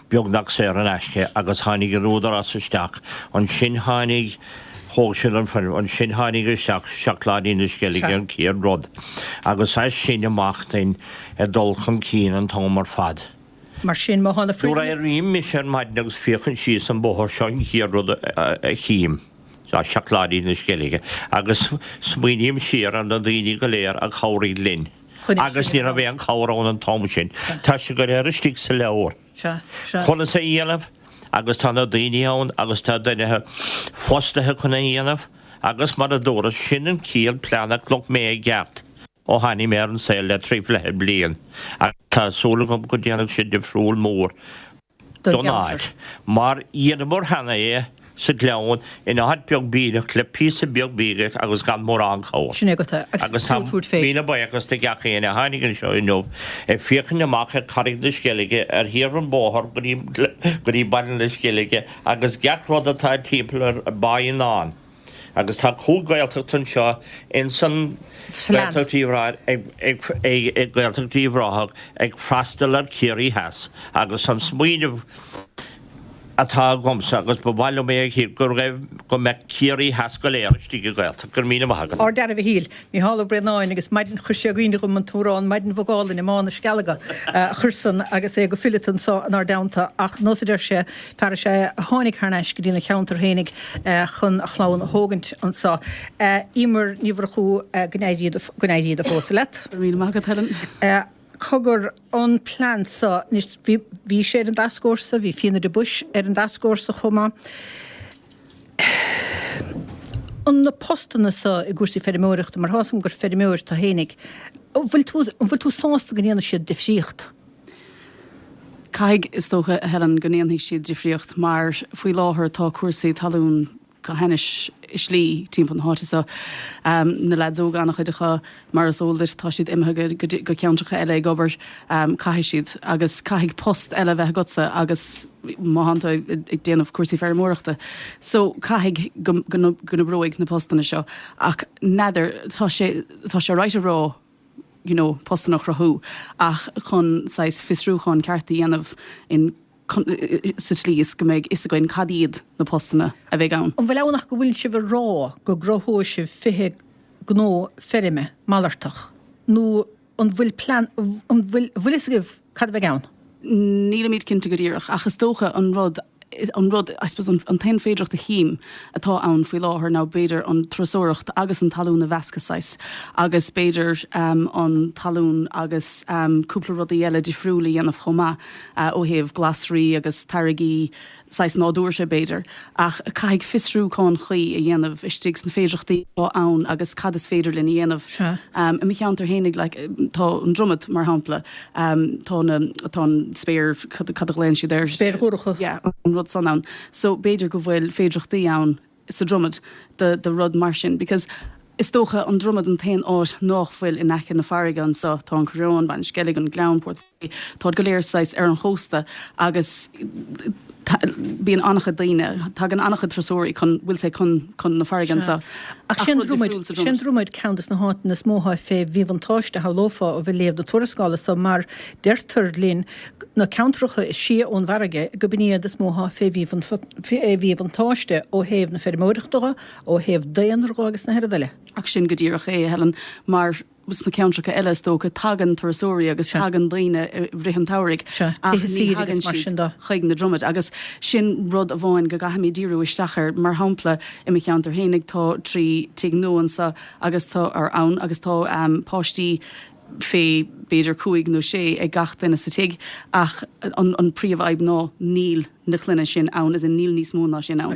beagnach saor in aisce agus tháinig an Údarás isteach, ansin tháinig, thóg siad an foirgneamh, ansin tháinig isteach Seacláidí na Sceilge an chéad rud agus as sin amach then ag dul chun cinn an t-am ar fad. Mar sin, má thána Nuair a éirím mise ar maidin agus féachaim síos an bóthar seo an chéad rud a chím ná Seacláidí na Sceilge agus smaoiním siar ar na daoine go léir a chabhraigh linn. Agus ní raibh aon chabhair ann an t-am sin. Tá sé go léir istigh sa leabhar. Conas é a dhéanamh agus tá na daoine ann agus tá duine fostaithe chun é a dhéanamh agus mar a dúras sin an chéad plean a chonaic mé i gceart ó tháinig mé ar an saol le trí fiche bliain agus tá súil agam go ndéanfaidh sé difriúil mór don áit mar dheineamar cheana é sa Ghleann in áit beag bídeach le píosa beag bídeach agus gan mórán cabhair. Sin é agat é. Agus tá míle buíochas do gach éinne a tháinig anseo inniu ag féachaint amach ar Charraig na Sceilge, ar thaobh an bóthar go dtí Baile na Sceilge agus gach rud atá timpeall ar Baí Nan. Agus tá cúig Ghaeltacht anseo ins an Ghaeltacht Uíbh Ráthaigh, Gaeltacht Uíbh Ráthaigh ag freastal ar Ciarraí Theas agus an smaoineamh atá agamsa agus ba mhaith liom é a chíor go raibh, go mbeadh Ciarraí Theas go léir istigh i Gaeltacht. Go raibh míle maith agat. Ard-fhear a Mhichíl, Micheál Ó Braonáin agus maidin chuir sé i gcuimhne dhom an t-amhrán Maidin Bhog Álainn i mBá na Scealga a chuir san agus é go fileata anso inár dteannta ach nós a deir sé, fear is ea é a tháinig thar n-ais go dtína cheantar fhéinig chun a chlann a thógaint anso. Emer Ní Mhurchú, go n-éirí go n-éirí do phósadh leat. Go raibh míle maith agat, Helen. Cogar, an plean so, anois bhí, bhí sé ar an dtascfhórsa, bhí Fíona de Buis ar an dtascfhórsa chomh maith. An na postanna so i gcúrsaí feirmeoireachta, mar tá's agam gur feirmeoir tú fhéinig, an bhfuil tú, an bhfuil tú sásta go ndéanfaidh siad difríocht? Caithfidh, is dócha, a Helen, go ndéanfaidh siad difríocht mar faoi láthair tá cúrsaí talún go hainnis i slí timpeall na háite so. Na leaids óga, an-chuid acu, mar is eol duit, tá siad imithe go ceantracha eile ag obair. Caithfidh siad, agus caithfidh post eile a bheith agatsa agus má thánn tú ag déanamh cúrsaí feirmeoireachta. So caithfidh go n-oibreoidh na postanna seo. Ach n'fheadar, tá sé, tá sé right a rá, you know, postanna a chruthú ach chun saghas fiosrúchán ceart a dhéanamh in sa tslí is go mbeidh fhios againn cad iad na postanna a bheidh ann. An bhfuil ann ach go bhfuil sibh ag rá go gcruthóidh sibh fiche gnó feirme malartach nó an bhfuil plean, an bhfuil, an bhfuil fhios agaibh cad a bheidh ann? Nílimid cinnte go díreach ach is dócha an rud, an rud, I suppose an, an t-aon féidireacht a chím atá ann faoi láthair ná b'fhéidir an turasóireacht agus an talún a mheascadh saghas agus b'fhéidir an talún agus cúpla rudaí eile difriúil a dhéanamh chomh maith. ó thaobh glasraí agus táirgí saghas nádúrtha b'fhéidir, ach caithfidh fiosrúchán cuí a dhéanamh istigh sna féidireachtaí atá ann agus cad is féidir linn a dhéanamh. I mo cheantar fhéinig, like, tá an Dromad, mar shampla, tá na, tá an spéir, cad a ghlaonn siad air? Spéir dhorcha. Yeah, an rud san ann. So b'fhéidir go bhfuil féidireachtaí ann sa Dromad do, do rud mar sin because is dócha an Dromad an t-aon áit nách bhfuil in aice na farraige anso. Tá an Coireán, Baile na Sceilge, an Gleann, Port Bhaile, táid go léir saghas ar an chósta agus bíonn an-chuid daoine, tagann an-chuid turasóirí chun, we'll say, chun, chun na farraige anso. Ach sé an Dromad, sé an Dromad ceann des na háiteanna is mó atá fé mhíbhuntáiste, shamhlófá, ó bheith ag léamh na tuarascála so mar deirtear linn na ceantracha is sia ón bhfarraige go b'in iad is mó atá fé mhíbhuntáiste ó thaobh na feirmeoireachta dho, ó thaobh daonra dho agus na hoiread eile. Ach sin go díreach é, a Helen, mar sna ceantracha eile is dócha tagann turasóirí agus tagann daoine i rith an tsamhraidh ach ní thagann siad chuig na Dromaid agus sin rud amháin go gcaithfimid díriú isteach air. Mar shampla i mo cheantar fhéinig tá trí tigh nua anso agus tá, or ann agus tá páistí fé b'fhéidir cúig nó sé ag gach duine sa tigh ach an an príomhfhadhb ná níl na clainne sin ann, as in níl níos mó ná sin ann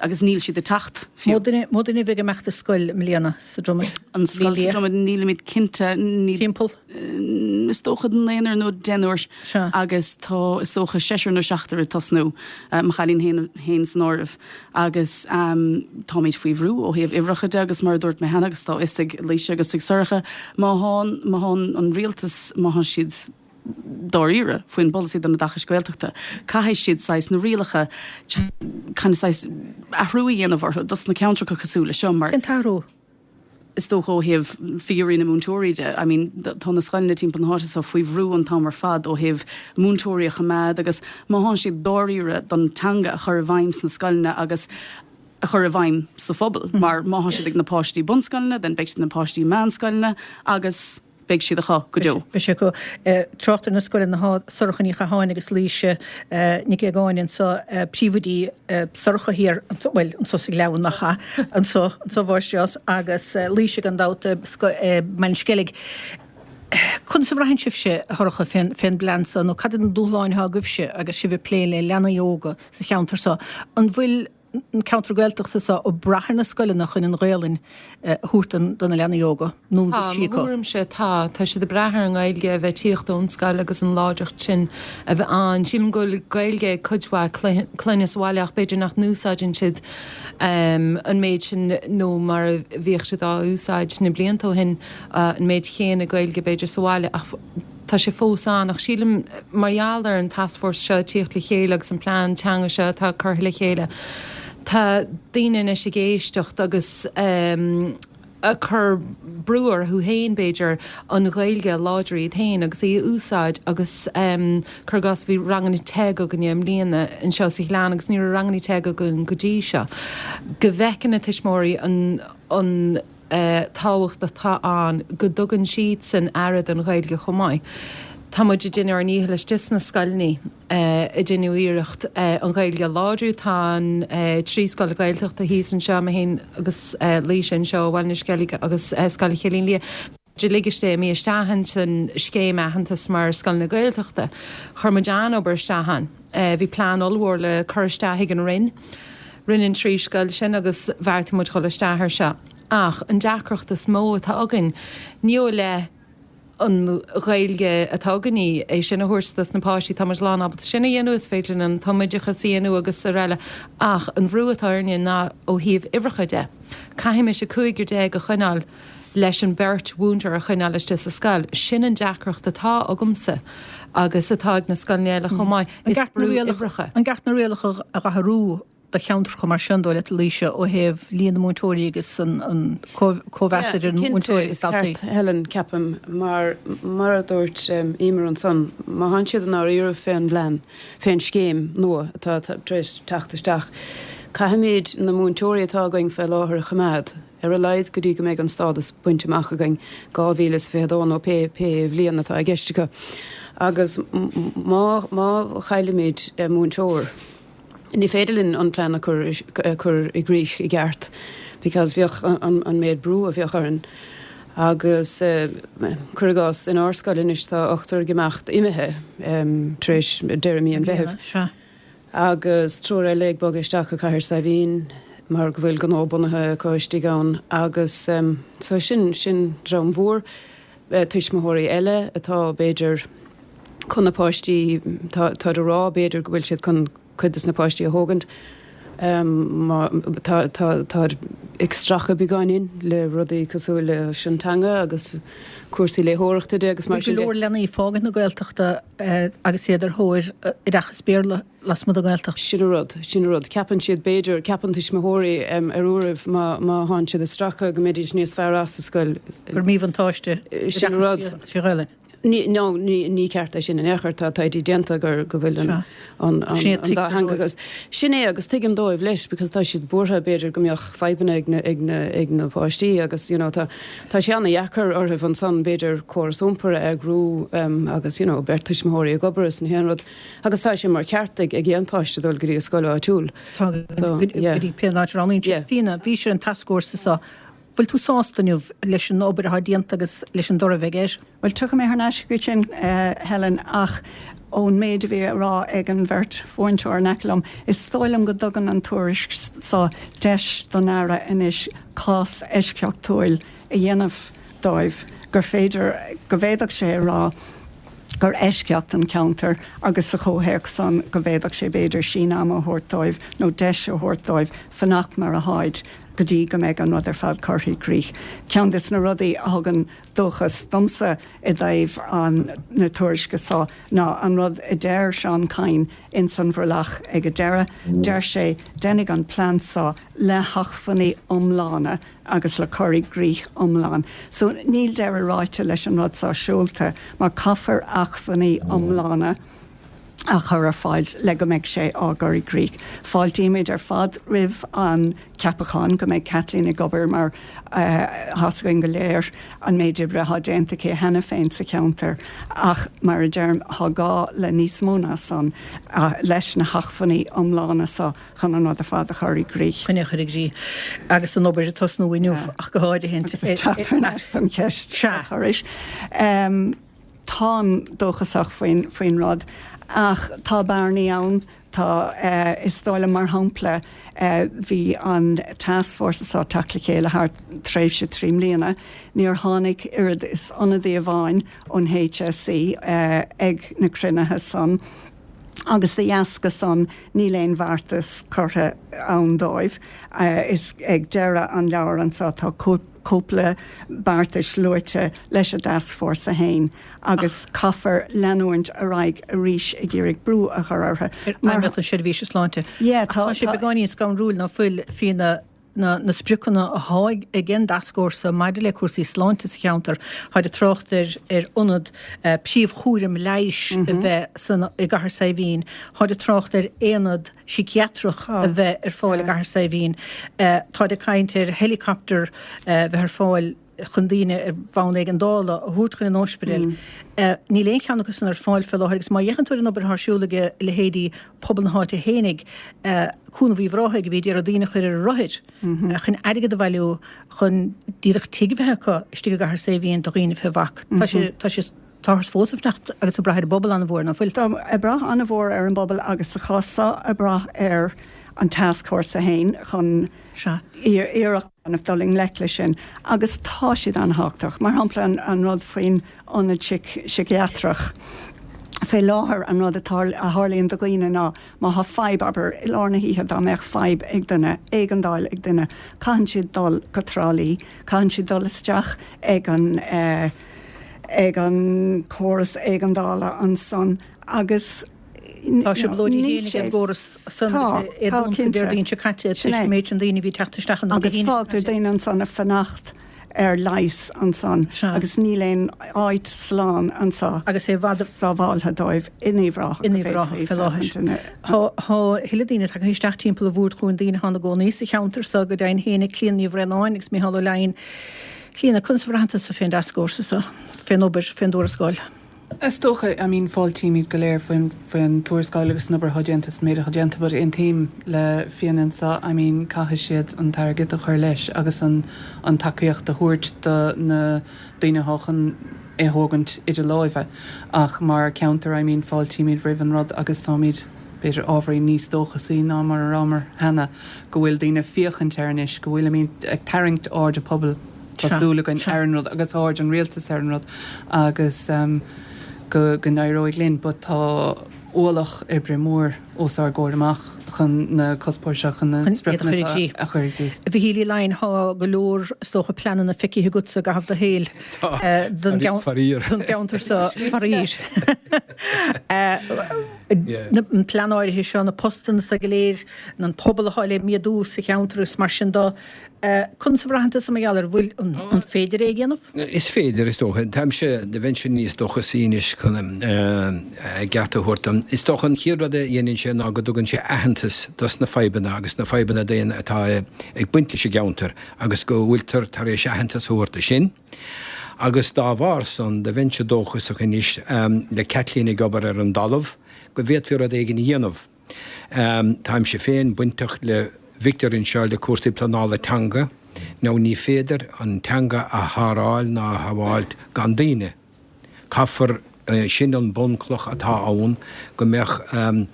agus níl siad ag teacht fiú. Mó duine, mó duine a bheidh ag imeacht ar scoil i mbliana sa Dromad? An scoil sa Dromad, nílimid cinnte, ní. Timpeall? Is dócha naonúr nó deichniúr agus tá is dócha seisear nó seachtar ag tosnú, mo chailín féin féin san áireamh. Agus táimid faoi bhrú ó thaobh uimhreacha de agus mar a dúirt mé cheana agus tá a fhios ag Laoise agus ag Sorcha, má thá, má thá an rialtas, má thá siad dáiríre faoin bpolasaí don oideachas Gaeltachta, caithfidh siad saghas na rialacha kind of saghas athrú a dhéanamh orthu dos na ceantracha cosúil le seo mar. Cén t-athrú? is dócha ó thaobh figiúirí na múinteoirí de, I mean tá na scoileanna timpeall na háite so faoi bhrú an t-am ar fad ó thaobh múinteoirí a choimeád agus má thánn siad dáiríre don teanga a chur i bhfeidhm sna scoileanna agus a chur i bhfeidhm sa phobal mar má thá siad ag na páistí bunscoileanna then beidh siad ag na páistí meánscoileanna agus beidh siad acu go deo. Beidh sé acu. Trácht ar na scoileanna thá Sorcha Ní Chatháin agus Laoise Nic Aogáin anso, príomhoidí Sorcha thiar, bhuel, anso sa Ghleann nach ea, anso, anso a mháistreás, agus Laoise gan dabht i mBaile an Sceilg. Conas a bhraitheann sibhse, a Shorcha, fén fén bplean so, nó cad iad na dúshláin atá agaibhse agus sibh ag plé le leanaí óga sa cheantar so? An bhfuil an ceantar Gaeltachta so ag brath ar na scoileanna chun an Ghaelainn a thabhairt do na leanaí óga, nó an Tá, bhfuil sí mo acu? thuairimse tá. Tá siad ag brath ar an nGaeilge a bheith ag tíocht ón scoil agus an láidreacht sin a bheith ann. Sílim go bhfuil Gaeilge ag cuid mhaith clainne sa bhaile ach b'fhéidir nach n-úsáideann siad an méid sin nó mar a bhíodh siad á úsáid na blianta ó shin, an méid chéanna Gaeilge b'fhéidir sa bhaile ach tá sé fós ann. Ach sílim mar gheall ar an tascfhórsa seo ag tíocht le chéile agus an plean teanga seo atá curtha le chéile, tá daoine anois ag éisteacht agus ag cur brú orthu féin, b'fhéidir, an Ghaeilge a láidriú iad féin agus í a úsáid agus cuir i gcás bhí ranganna TEG againne i mbliana anseo sa Ghleann agus ní raibh ranganna TEG againn go dtí seo. Go bhfeiceann na tuismitheoirí an an tábhacht atá ann go dtugann siadsan aire don Ghaeilge chomh maith. Tá muid ag déanamh ár ndícheall istigh sna scoileanna ag déanamh iarracht an Ghaeilge a láidriú. Tá an trí scoil Ghaeltachta thíos anseo, mé féin agus Laoise anseo ó Bhaile na Sceilge agus Scoil Chillín Liath, uilig imithe isteach ins an scéim aitheantas mar scoileanna Gaeltachta. Chuir muid an-obair isteach ann. Bhí plean ollmhór le cur isteach ag an Roinn. Rinne an trí scoil sin agus bheartaigh muid dhul isteach air seo. Ach an deacracht is mó atá againn, ní ó leith an Ghaeilge atá againn í, é sin a thabhairt dos na páistí, tá muid lán ábalta sin a dhéanamh, is féidir linn an tumoideachas a dhéanamh agus araile, ach an bhrú atá orainne ná ó thaobh uimhreacha de. Caithfimis an cúigear déag a choinneáil leis an beirt mhúinteoir a choinneáil istigh sa scoil. Sin an deacracht atá agamsa agus atá ag na scoileanna eile chomh maith, An is gceart na brú rialacha uimhreacha. An gceart na rialacha a dh'athrú do cheantracha mar sin, dóigh leat, a Laoise, ó thaobh líon na múinteoirí agus an cóimheas idir Cinnte, múinteoirí agus is daltaí? ceart, Helen, ceapaim, mar mar a dúirt Emer ansan, má thánn siad i ndáiríre fén bplean, fén scéim nua atá tar éis teacht isteach, caithfimid na múinteoirí atá againn fé láthair a choimeád, ar a laghad go dtí go mbeidh an stádas bainte amach againn, dhá mhíle is fiche a dó nó pé pé bhliain atá i gceist acu. Agus má má chaillimid múinteoir, Ní féidir linn an plean a chur a chur i gcrích i gceart because bheadh an an méid brú a bheadh orainn agus cuir i gcás inár scoil anois tá ochtar ag imeacht imithe tar éis deireadh mí an Mheithimh agus triúr eile ag bogadh isteach go Cathair Saidhbhín mar go bhfuil gnó bunaithe acu istigh ann agus so sin sin dream mhór tuismitheoirí eile atá b'fhéidir chun na páistí, tá táid ag rá b'fhéidir go bhfuil siad chun cuid des na páistí a thógaint. Má tá tá táid ag stracadh beagáinín le rudaí cosúil leis an teanga agus cúrsaí léitheoireachta de agus mar Bhí go sin de. leor leanaí ag fágaint na Gaeltachta agus iad ar thóir oideachas Béarla lasmuigh den Ghaeltacht. Sin an rud, sin an rud. Ceapann siad b'fhéidir, ceapann tuismitheoirí ar uairibh má má thánn siad ag stracadh go mbeidís níos fearr as sa scoil. Gur míbhuntáiste Sin an rud. oideachas trí Ghaelainn. Ní, no, ní, ní ceart é sin in aon chor, tá taighde déanta gur, go bhfuil an, an, an, Sin é, an tuigtear dá theanga dóibh. agus, sin é agus tuigim dóibh leis because tá siad buartha b'fhéidir go mbeadh fadhbanna ag na, ag na, ag na páistí agus you know tá, tá sé ana-dheacair orthu ansan b'fhéidir córas iompair a eagrú um, agus you know beirt tuismitheoirí ag obair is na haon rud agus tá sé mar cheart ag, ag aon páiste dul go dtí a scoil áitiúil. Tá So, go yeah. dtí pé áit a roghnaíonn siad. Yeah. Fíona, bhí sé an tascfhórsa so. Bhfuil tú sásta inniu leis an obair atá déanta agus leis an dtoradh a bheidh air? Bhuel, tiocfaidh mé thar n-ais chuige sin, Helen, ach ón méid a bhí á rá ag an bheirt mhúinteoir in aice liom, is dóigh liom go dtugann an tuairisc so deis don Aire anois cás eisceachtúil a dhéanamh dóibh, gur féidir, go bhféadfadh sé a rá gur eisceacht an ceantar agus sa chomhthéacs san go bhféadfadh sé b'fhéidir síneadh ama a thabhairt dóibh nó deis a thabhairt dóibh fanacht mar atháid go dtí go mbeidh an rud ar fad curtha i gcrích. Ceann des na rudaí a thugann dóchas domsa i dtaobh an na tuairisce so ná an rud a deir Seán Kyne ins an bhrollach ag an deireadh. Deir sé, déanfaidh an plean so le hacmhainní iomlána agus le cur i gcrích iomlán. So níl deireadh ráite leis an rud so seolta mar caithfear acmhainní iomlána a chur ar fáil le go mbeidh sé á gcur i gcrích. Fáiltímid ar fad roimh an ceapachán go mbeidh Kathleen ag obair mar tá's againn go léir an méid oibre atá déanta aici cheana féin sa cheantar ach mar a deirim tá gá le níos mó ná san leis na hacmhainní iomlána so chun an rud ar fad a chur i gcrích. Chun é a chur i gcrích agus an obair ag tosnú inniu ach go háirithe. Agus ag teacht thar n-ais don cheist a chuiris. Táim dóchasach faoin faoin rud ach tá bearnaí ann, tá, is dóigh liom, mar shampla, bhí an tascfhórsa seo ag teacht le chéile thar tréimhse trí mbliana, níor tháinig oiread is ionadaí amháin ón HSE ag na cruinnithe san agus de dheasca san níl aon bheartas curtha ann dóibh. Is ag deireadh an leabhair anseo tá cóip cúpla beartais luaite leis an dtascfhórsa féin agus caithfear leanúint ar aghaidh arís ag iarraidh brú a chur orthu. Ar fheidhmeannacht na seirbhíse sláinte. Yeah, tá sé beagáinín scanrúil ná fuil faoi na na na spriocanna atá ag an dtascfhórsa maidir le cúrsaí sláinte sa cheantar. Táid ag trácht ar ar ionad príomhchúraim leighis a bheith san i gCathair Saidhbhín. Táid ag trácht ar aonad síciatrach a bheith ar fáil i gCathair Saidhbhín. Táid ag caint ar helicopter a bheith ar fáil chun daoine ar bhonn éigeandála a thabhairt chun an ospidéil. Níl aon cheann acu san ar fáil fé láthair agus má fhéachann tú ar an obair atá ar siúl ag leithéidí pobal na háite fhéinig, Cúnamh Uíbh Ráthaigh a bhí ag iarraidh daoine a chur ar rothair chun airgead a bhailiú chun díreach tigh a bheith acu istigh i gCathair Saidhbhín do dhaoine fé bhac. Tá sé, tá sé. Táthar fós ag fanacht agus ag brath ar an bpobal an-mhór, ná fuil? Tá, ag brath an-mhór ar an bpobal agus sa chás seo ag brath ar an tascfhórsa féin chun iarracht a dhéanamh dul i ngleic leis sin agus tá siad an-thábhachtach. Mar shampla an rud faoin ionad síciatrach. Fé láthair an rud atá, a tharlaíonn do dhaoine ná má thá fadhb, abair, i lár na hoíche dá mbeadh fadhb ag duine, éigeandáil ag duine, caitheann siad dul go Trá Lí, caitheann siad dul isteach ag an eh, ag an córas éigeandála ansan agus Tá trioblóidí féin ag an gcóras san agus é dúnta Déardaoin seo caite toisc an méid sin daoine a bhí ag teacht isteach ann Dé Agus hAoine seo fágtar caite. daoine ansan ag fanacht ar leigheas ansan agus níl aon áit slán anso Agus é i bhfad sábháltha dóibh in Uíbh Ráthach In go Uíbh Ráthach bhféadfaí fé láthair. féachaint ina Tá tá a thuilleadh daoine tagtha isteach timpeall an bhoird chugainn, daoine atá ina gcónaí sa cheantar so go deimhin féinig, Clíona Ní Bhraonáin agus Micheál Ó Leidhin. Clíona, conas a bhraitheann tusa fén dtascfhórsa so, fén obair, fén dtuarascáil? Is dócha, I mean, fáiltímid go léir faoin, faoin tuarascáil agus an obair atá déanta is an méid atá déanta but aontaím le Fiona anseo, I mean, caithfidh siad an t-airgead a chur leis agus an, an tacaíocht a thabhairt do na daoine atá chun é a thógaint idir láimhe. Ach mar cheantar, I mean, fáiltímid roimh an rud agus táimid, b'fhéidir ábhairín níos dóchasaí ná mar a rabhamar cheana, go bhfuil daoine ag féachaint air anois, go bhfuilimid ag tarraingt aird an phobail, tá súil againn, ar an rud agus aird an rialtais ar an rud agus go go n-éireoidh linn. But tá ualach oibre mór os ár gcomhair amach chun na cuspóirí seo, chun na Chun iad a spriocanna chur i seo gcrích. a chur i gcrích. A Mhichíl Uí Laighin, tá go leor, is dócha, pleananna feicthe agatsa i gcaitheamh do shaoil don gceantar seo, faraor. An plean áirithe seo, na postanna seo go léir, an pobal atá le méadú sa cheantar agus mar sin de. Conas a bhraitheann tusa mar gheall air? Bhfuil, an féidir é a dhéanamh? Is féidir, is dócha. Táimse, bheinnse níos dóchasaí anois chun a gceart a thabhairt dom. Is dócha an chéad rud a dhéanann sé ná go dtugann sé aitheantas dos na fadhbanna agus na fadhbanna daonna atá ag baint leis an gceantar agus go bhfuiltear tar éis aitheantas a thabhairt do sin. Agus dá bharr san, do bheinnse dóchasach anois, le Caitlín ag obair ar an dtalamh, go bhféadfaí rud éigin a dhéanamh. Táimse féin bainteach le Victor anseo le cúrsaí pleanála teanga. Now ní féidir an teanga a shábháil ná a shábháilt gan daoine. Caithfear, sin an bunchloch atá ann, go mbeadh an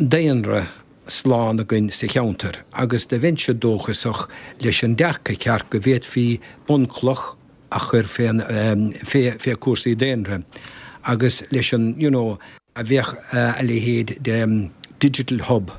daonra slán againn sa cheantar agus do bheinnse dóchasach leis an dearcadh ceart go bhféadfaí bunchloch a chur fén, fé, fé cúrsaí daonra agus leis an, you know, a bheadh a leithéid de digital hub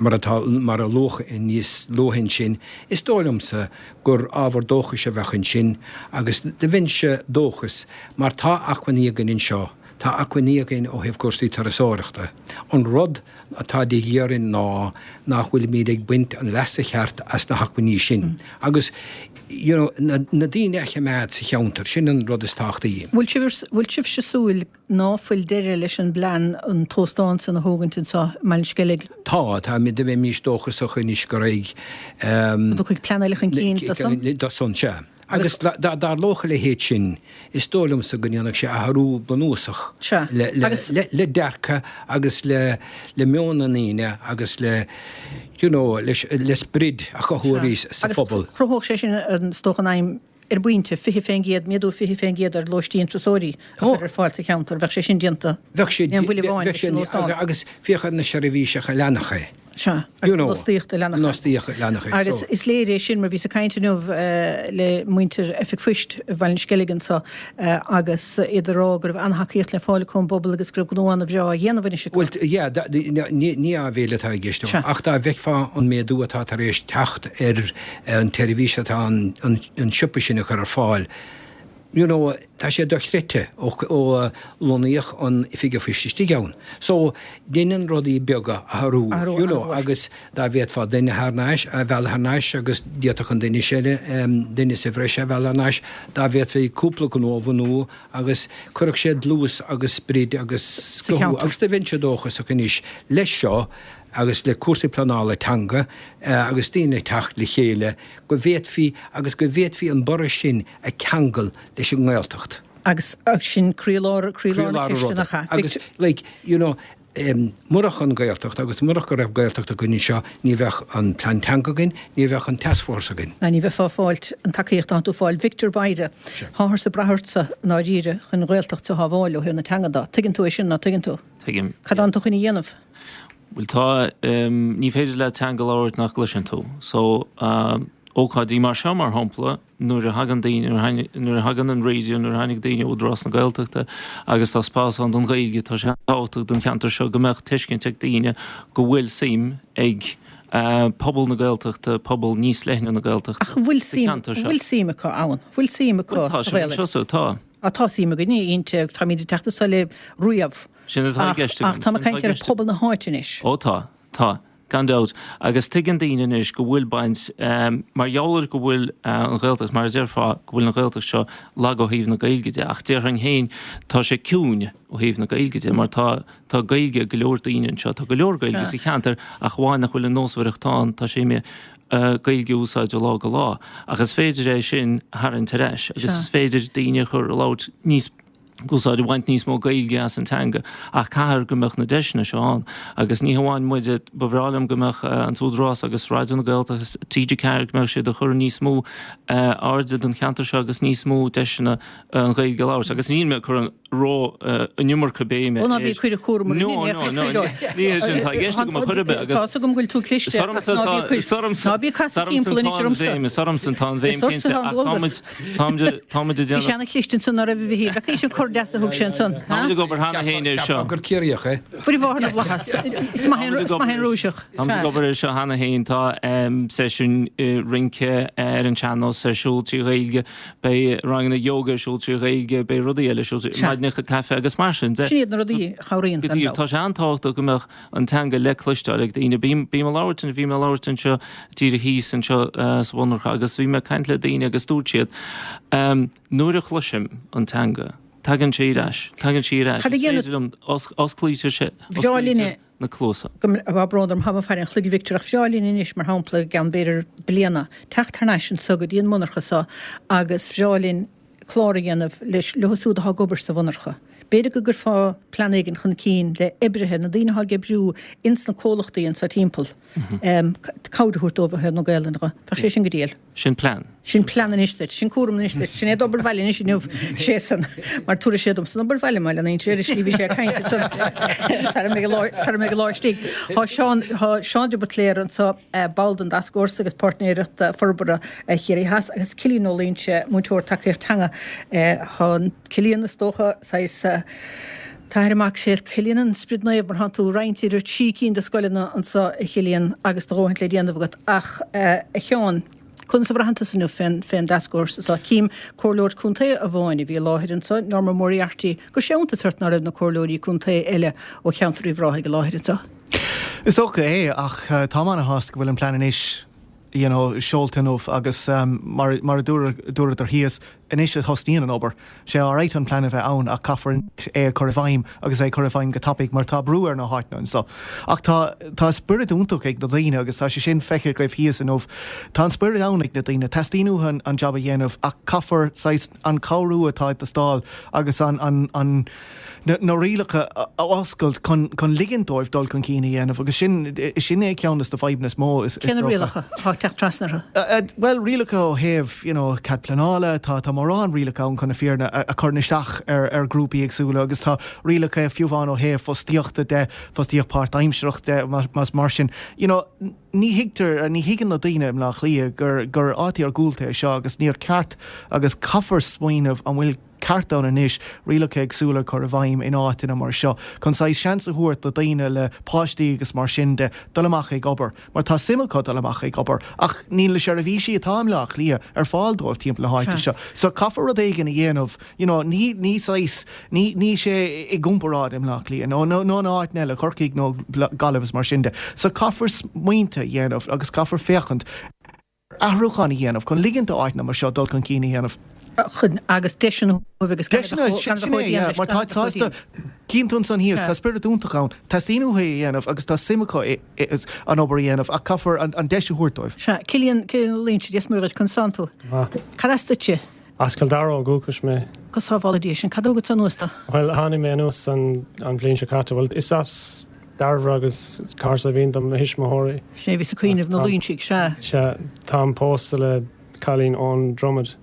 mar atá, mar a luadh níos luaithe ansin, is dóigh liomsa gur ábhar dóchais a bheadh ansin agus do bheinnse dóchas mar tá acmhainní againn anseo, tá acmhainní againn ó thaobh cúrsaí turasóireachta. An rud atá de dhíth orainn ná nach bhfuilimid ag baint an leasa cheart as na hacmhainní sin agus you know, na, na daoine a choimeád sa cheantar, sin an rud is tábhachtaí. Bhfuil sibh, bhfuil sibhse súil ná fuil deireadh leis an bplean an t-óstán san a thógaint anseo i mBaile an Sceilg? Tá, tá, do bheimis dóchasach anois go raibh um, Go dtiocfaidh plean eile chun cinn dó san? Dó san, sea. Agus dá dtarlódh a leithéid sin, is dóigh liomsa go ndéanfadh sé athrú bunúsach le dearcadh agus le meon na ndaoine agus le you know le sprid a chothú arís sa phobal. Agus chruthódh sé sin, is dócha, an aidhm ar bpointe, fiche fén gcéad, méadú fiche fén gcéad ar lóistín turasóirí a chur ar fáil sa cheantar. Bheadh sé sin déanta. Bheadh sé, bheadh sé, agus féach ar na seirbhíseacha a leanfadh é. Sea, agus an fhostaíocht a leanfadh. An fhostaíocht a leanfadh é. Agus is léir é sin mar bhíos ag caint inniu le muintir Oifig Phoist Bhaile an Sceilg anseo agus iad ag rá go raibh an-tacaíocht le fáil acu ón bpobal agus go raibh gnó an-bhreá á dhéanamh anois acu. Bhuel, yeah, ní áibhéil atá i gceist ach dá bhfeicfeá an méadú atá tar éis teacht ar an tseirbhís atá an siopa sin a chur ar fáil, you know, tá sé dochreidte ó ó lonnaíodh an Oifig an Phoist istigh ann. So, deineann rudaí beaga athrú, you know, agus dá bhféadfá duine thar n-ais, a mhealladh thar n-ais agus d'fhéadfadh an duine eile, duine sa bhreis a mhealladh thar n-ais, dá bhféadfaí cúpla gnó a bhunú agus cuirfeadh sé dlús agus sprid agus scothú agus do bheinnse dóchasach anois leis seo agus le cúrsaí pleanála teanga agus daoine ag teacht le chéile go bhféadfaí agus go bhféadfaí an borradh sin a cheangal leis an nGaeltacht. Agus sin croílár, croílár na ceiste nach ea? Agus like, you know, murach an Ghaeltacht agus murach go raibh Gaeltacht againn anseo ní bheadh an plean teanga againn, ní bheadh an tascfhórsa againn. Ná ní bheifeá ag fáilt an tacaíocht atá tú ag fáil. Victor Bayda, táthar ag brath ortsa i ndáiríre chun an Ghaeltacht a shábháil ó thaobh na teanga de. Tuigeann tú é sin, ná tuigeann tú? Tuigim. Cad atánn tú chun a dhéanamh? Bhuel tá, ní féidir leat teanga a labhairt nach gcloiseann tú. So, ócáidí mar seo mar shampla, nuair a thagann daoine, nuair a thagann an raidió, nuair a tháinig daoine ó Údarás na Gaeltachta agus tá spás ann don Ghaeilge, tá sé tábhachtach don cheantar seo go mbeadh tuiscint ag daoine go bhfuil suim ag pobal na Gaeltachta, pobal níos leithne na Gaeltachta Ach bhfuil sa cheantar seo. Bhfuil suim acu ann? Bhfuil suim acu Bhuel tá, sa Ghaelainn? seo, so, tá. Á tá suim againne inti, táimid ag teacht anso libh riamh. Sin atá i gceist agam. Ach tá mé ag caint ar phobal na háite anois. Ó tá, tá, gan dabht. Agus tuigeann daoine anois go bhfuil baint, mar gheall ar go bhfuil an Ghaeltacht, mar a déarfá, go bhfuil an Ghaeltacht seo lag ó thaobh na Gaeilge de, ach déarfainn féin, tá sé ciúin ó thaobh na Gaeilge de, mar tá, tá Gaeilge ag go leor daoine anseo, tá go leor Gaeilge sa cheantar ach amháin nach bhfuil an nósmhaireacht ann, tá sé imithe Gaeilge a úsáid ó lá go lá. Ach is féidir é sin a tharraingt ar ais agus is féidir daoine a chur a labhairt níos úsáid a bhaint níos mó Gaeilge as an teanga ach caithfear go mbeadh na deiseanna seo ann agus ní hamháin muide, ba bhreá liom go mbeadh an tÚdarás agus Raidió na Gaeltachta agus T G ceathair go mbeadh siad ag cur níos mó airde don cheantar seo agus níos mó deiseanna an Ghaeilge a labhairt agus níl mé ag cur an ró an iomarca béime Ó ná bí ag cur an chúram orainn No, no, no, ní hé sin atá i gceist agam a chur ar bith agus Tá 'fhios agam go bhfuil tú cliste ach ná bí ag cur ná bí ag casadh timpeall anois ormsa. Is ormsa atá an bhéim Is ortsa cinnte atá an ach dualgas. táimid táimid ag Bhí déanamh sé ana-chliste ansan ná raibh a Mhichíl? Bheadh sé cur deas a thug sé ansan. Táimid ag obair cheana féin air seo. Cheapfá gur Ciarraíoch é. Fuair a mháthair na bhflaitheas. Is maith is maith an Rúiseach. Táimid ag obair air seo cheana féin. Tá seisiúin rince ar an sean-nós ar siúl trí Ghaeilge. Beidh ranganna yoga ar siúl trí Ghaeilge, beidh rudaí eile ar siúl trí, maidineacha caife agus mar sin de. Sin iad na rudaí a chabhraíonn, gan dabht. Tá sé an-tábhachtach go mbeadh an teanga le cloisteáil ag daoine. Bím, bím ag labhairt, bhí mé ag labhairt anseo díreach thíos anseo sa mhonarcha agus bhí mé ag caint le daoine agus dúirt siad, nuair a chloisim an teanga, tagann sé ar ais, tagann sí ar ais, Cad a is dhéanamh? féidir liom, osclaítear sé, Bhreá linne osclaítear na cluasa. go mbeadh brón orm, tá mé ag faire an chloig a Victor, ach bhreá linn anois, mar shampla, i gceann b'fhéidir bliana, teacht thar n-ais anso go dtí an monarcha so agus bhreá linn clár a dhéanamh leis, leo siúd atá ag obair sa mhonarcha. B'fhéidir go gcuirfeá plean éigin chun cinn le oibrithe, na daoine atá ag oibriú ins na comhlachtaí anso timpeall, cabhair a thabhairt dóibh ó thaobh na Gaelainne de. Bheadh sé sin go diail. Sin plean. Sin plean anois duit. Sin cúram anois duit. Sin é d'obair bhaile anois inniu, sé san. Mar tabharfaidh sé domsa an obair bhaile má leanaíonn sé ar an slí bhí sé ag caint ansan sara mbeidh an lá, sara mbeidh an lá istigh. Tá Seán, tá Seán de Buitléar anso, ball den dTascfhórsa agus Páirtnéireacht Forbartha Chiarraí Theas agus Cillian Ó Loingsigh, múinteoir tacaíocht teanga. Tá Cillian is dócha saghas, T-athair mac sé Cillian an Sprid Naomh mar thánn tú roinnte idir trí cinn de scoileanna anso a Chillian agus do dhóthaint le déanamh agat ach a Sheáin, conas a bhraitheann tusa inniu fén fén dtascfhórsa seo? Cím comhairleoir contae amháin a bhí i láthair anso, Norma Moriarty, go raibh sé iontas ort ná raibh na comhairleoirí contae eile ó cheantar Uíbh Ráthaigh i láthair anso. Is dócha é ach táim ana-shásta go bhfuil an plean anois you know, seolta inniu agus um, mar, mar a dúradar thíos, anois a thosnaíonn an obair. Sé alright an plean a bheith ann ach caithfear é a chur i bhfeidhm agus é a chur i bhfeidhm go tapaidh mar tá brú ar na háiteanna anso. Ach tá tá spiorad iontach ag na daoine agus tá sé sin feicthe agaibh thíos inniu. Tá an spiorad ann ag na daoine, teastaíonn uathu an, an jab a dhéanamh ach caithfear saghas an cabhrú atá ag teastáil agus an, an, an, na, na rialacha a oscailt chun, chun ligint dóibh dul chun cinn a dhéanamh agus sin, sin é ceann de na fadhbanna is mó is, is Cén na dócha. rialacha atá ag teacht trasna orthu? Uh, uh, well, rialacha ó thaobh, you know, cead pleanála, tá tá mórán rialacha ann chun na fírinne a, a chuireann isteach ar, ar grúpaí éagsúla agus tá rialacha fiú amháin ó thaobh fostaíochta de, fostaíocht páirtaimsearach de, más mar sin. You know, ní thuigtear, ní thuigeann na daoine i mBleá Cliath gur, gur áit iargúlta é seo agus níor ceart agus caithfear smaoineamh an bhfuil ceart ann anois rialacha éagsúla a chur i bhfeidhm in áiteanna mar seo, chun saghas seans a thabhairt do dhaoine le páistí agus mar sin de dul amach ag obair, mar tá suim acu dul amach ag obair, ach níl na seirbhísí atá i mBleá Cliath ar fáil dóibh timpeall na háite seo. So caithfear rud éigin a dhéanamh, you know, ní, ní saghas, ní, ní sé i gcomparáid i mBleá Cliath nó, nó, nó in áit eile, Corcaigh nó Gaillimh is mar sin de. So caithfear smaointe a dhéanamh agus caithfear féachaint ar athrúchán a dhéanamh chun ligint d'áiteanna mar seo dul chun cinn a dhéanamh. Chun agus deiseanna agus Deiseanna, sin é, yeah, mar tá sásta cíonn tú ansan thíos, tá spiorad iontach ann, teastaíonn uathu é a dhéanamh agus tá suim acu an obair a dhéanamh ach caithfear an deis a thabhairt dóibh. Sea, Cillian, Cillian Ó Loingsigh, Dia is Muire dhuit, conas tánn tú? Maith. Cad as duitse? As Cill Dara ó dhúchas mé. Go sábhála Dia sinn. Cad a thug tú anuas dó? Bhuel, tháinig mé anuas an an bhliain seo caite. Bhuel, is as Dairbhre agus Cora Saibhín do mo thuismitheoirí. Sin é a bhí sa cuimhneamh, na Loingsigh, sea. Sea, táim pósta le cailín ón Dromad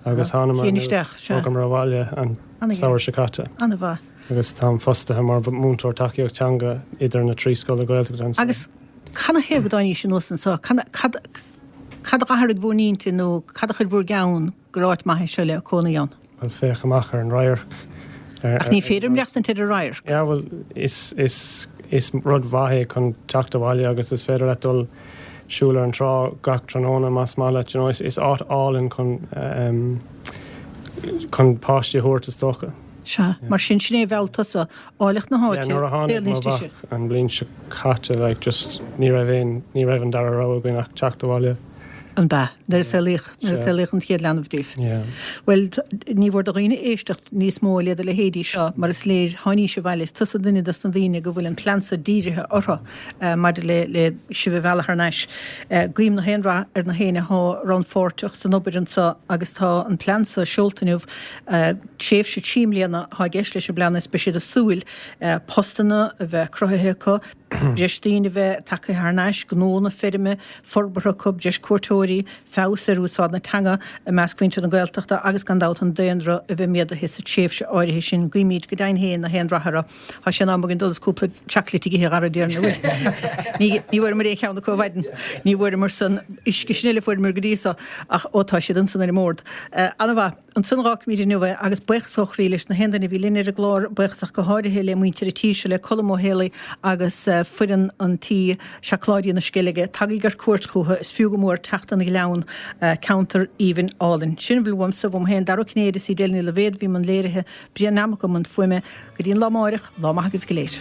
agus thánamar Chéin anuas, isteach, sea. bhogamar abhaile an Ana-dheas. samhradh seo caite. Ana-mhaith. Agus táim fostaithe mar mhúinteoir tacaíocht teanga idir na trí scoil Ghaeltachta anso. Agus canathaobh go dtáinís anuas anso? Cad, cad, cad a d'athraigh bhur n-intinn nó cad a chuir bhur gceann gur áit maith é seo le cónaí ann? Bhuel, féach amach ar an radharc. Ach ní féidir maireachtaint ar an radharc. Yeah, bhuel, is, is, is rud mhaith é chun teacht abhaile agus is féidir leat dul siúl ar an trá gach tráthnóna más maith leat, you know, is, is áit álainn chun, um, chun páistí a thabhairt is dócha. Sea, mar sin, sin é a mheall tusa, áilleacht na Yeah, háite, nuair a tháinig saol mo níos deise. mhac an bhliain seo caite, like, just ní raibh aon, ní raibh an dara rogha againn ach teacht abhaile. An b'ea, nuair a saolaíodh, nuair a Sea. saolaíodh an chéad leanbh díobh. Yeah. Bhuel, ní mhór do dhaoine éisteacht níos mó le do leithéidí seo, mar is léir, tháinís abhaile, is tusa duine dos na daoine go bhfuil an plean seo dírithe orthu maidir le, le sibh a mhealladh thar n-ais. Guím na haon rath ar na héinne athá rannpháirteach san obair anso agus tá an plean seo seolta inniu, tréimhse trí mbliana athá i gceist leis an bplean is beidh siad ag súil postanna a bheith cruthaithe acu, breis daoine a bheith tagtha thar n-ais, gnónna feirme forbartha acu, breis cuairteoirí, feabhas ar úsáid na teanga i measc mhuintir na Gaeltachta agus gan dabht an daonra a bheith méadaithe sa tréimhse áirithe sin. Guímid go deimhin féin na haon rath orthu. Tá sé in am againn dul is cúpla chocolate a ithe a Dhara déarfainn, an bhfuil? Ní ní bhfuaireamar aon cheann acu ar maidin. Ní bhfuaireamar san uisce sin eile a fuaireamar go dtí so ach ó tá siad ansan ar an mbord. Ana-mhaith. Ansan a dh'fhágfaimid inniu é agus buíochas ó chroí leis na haon duine a bhí linn ar an gclár, buíochas ach go háirithe le muintir an tí seo, le Colm Ó Héalaí agus foireann an tí, Seacláidí na Sceilge. Tagaigí ar cuairt chucu, is fiú go mór teacht 'on Ghleann, ceantar aoibhinn álainn. Sin a bhfuil uaimse, uaim féin, Dara Ó Cinnéide, is í Edel Ní Loibhéad a bhí i mbun léirithe, Brian Nammock i mbun fuaime. Go dtí an lá amáireach, lá maith agaibh go léir.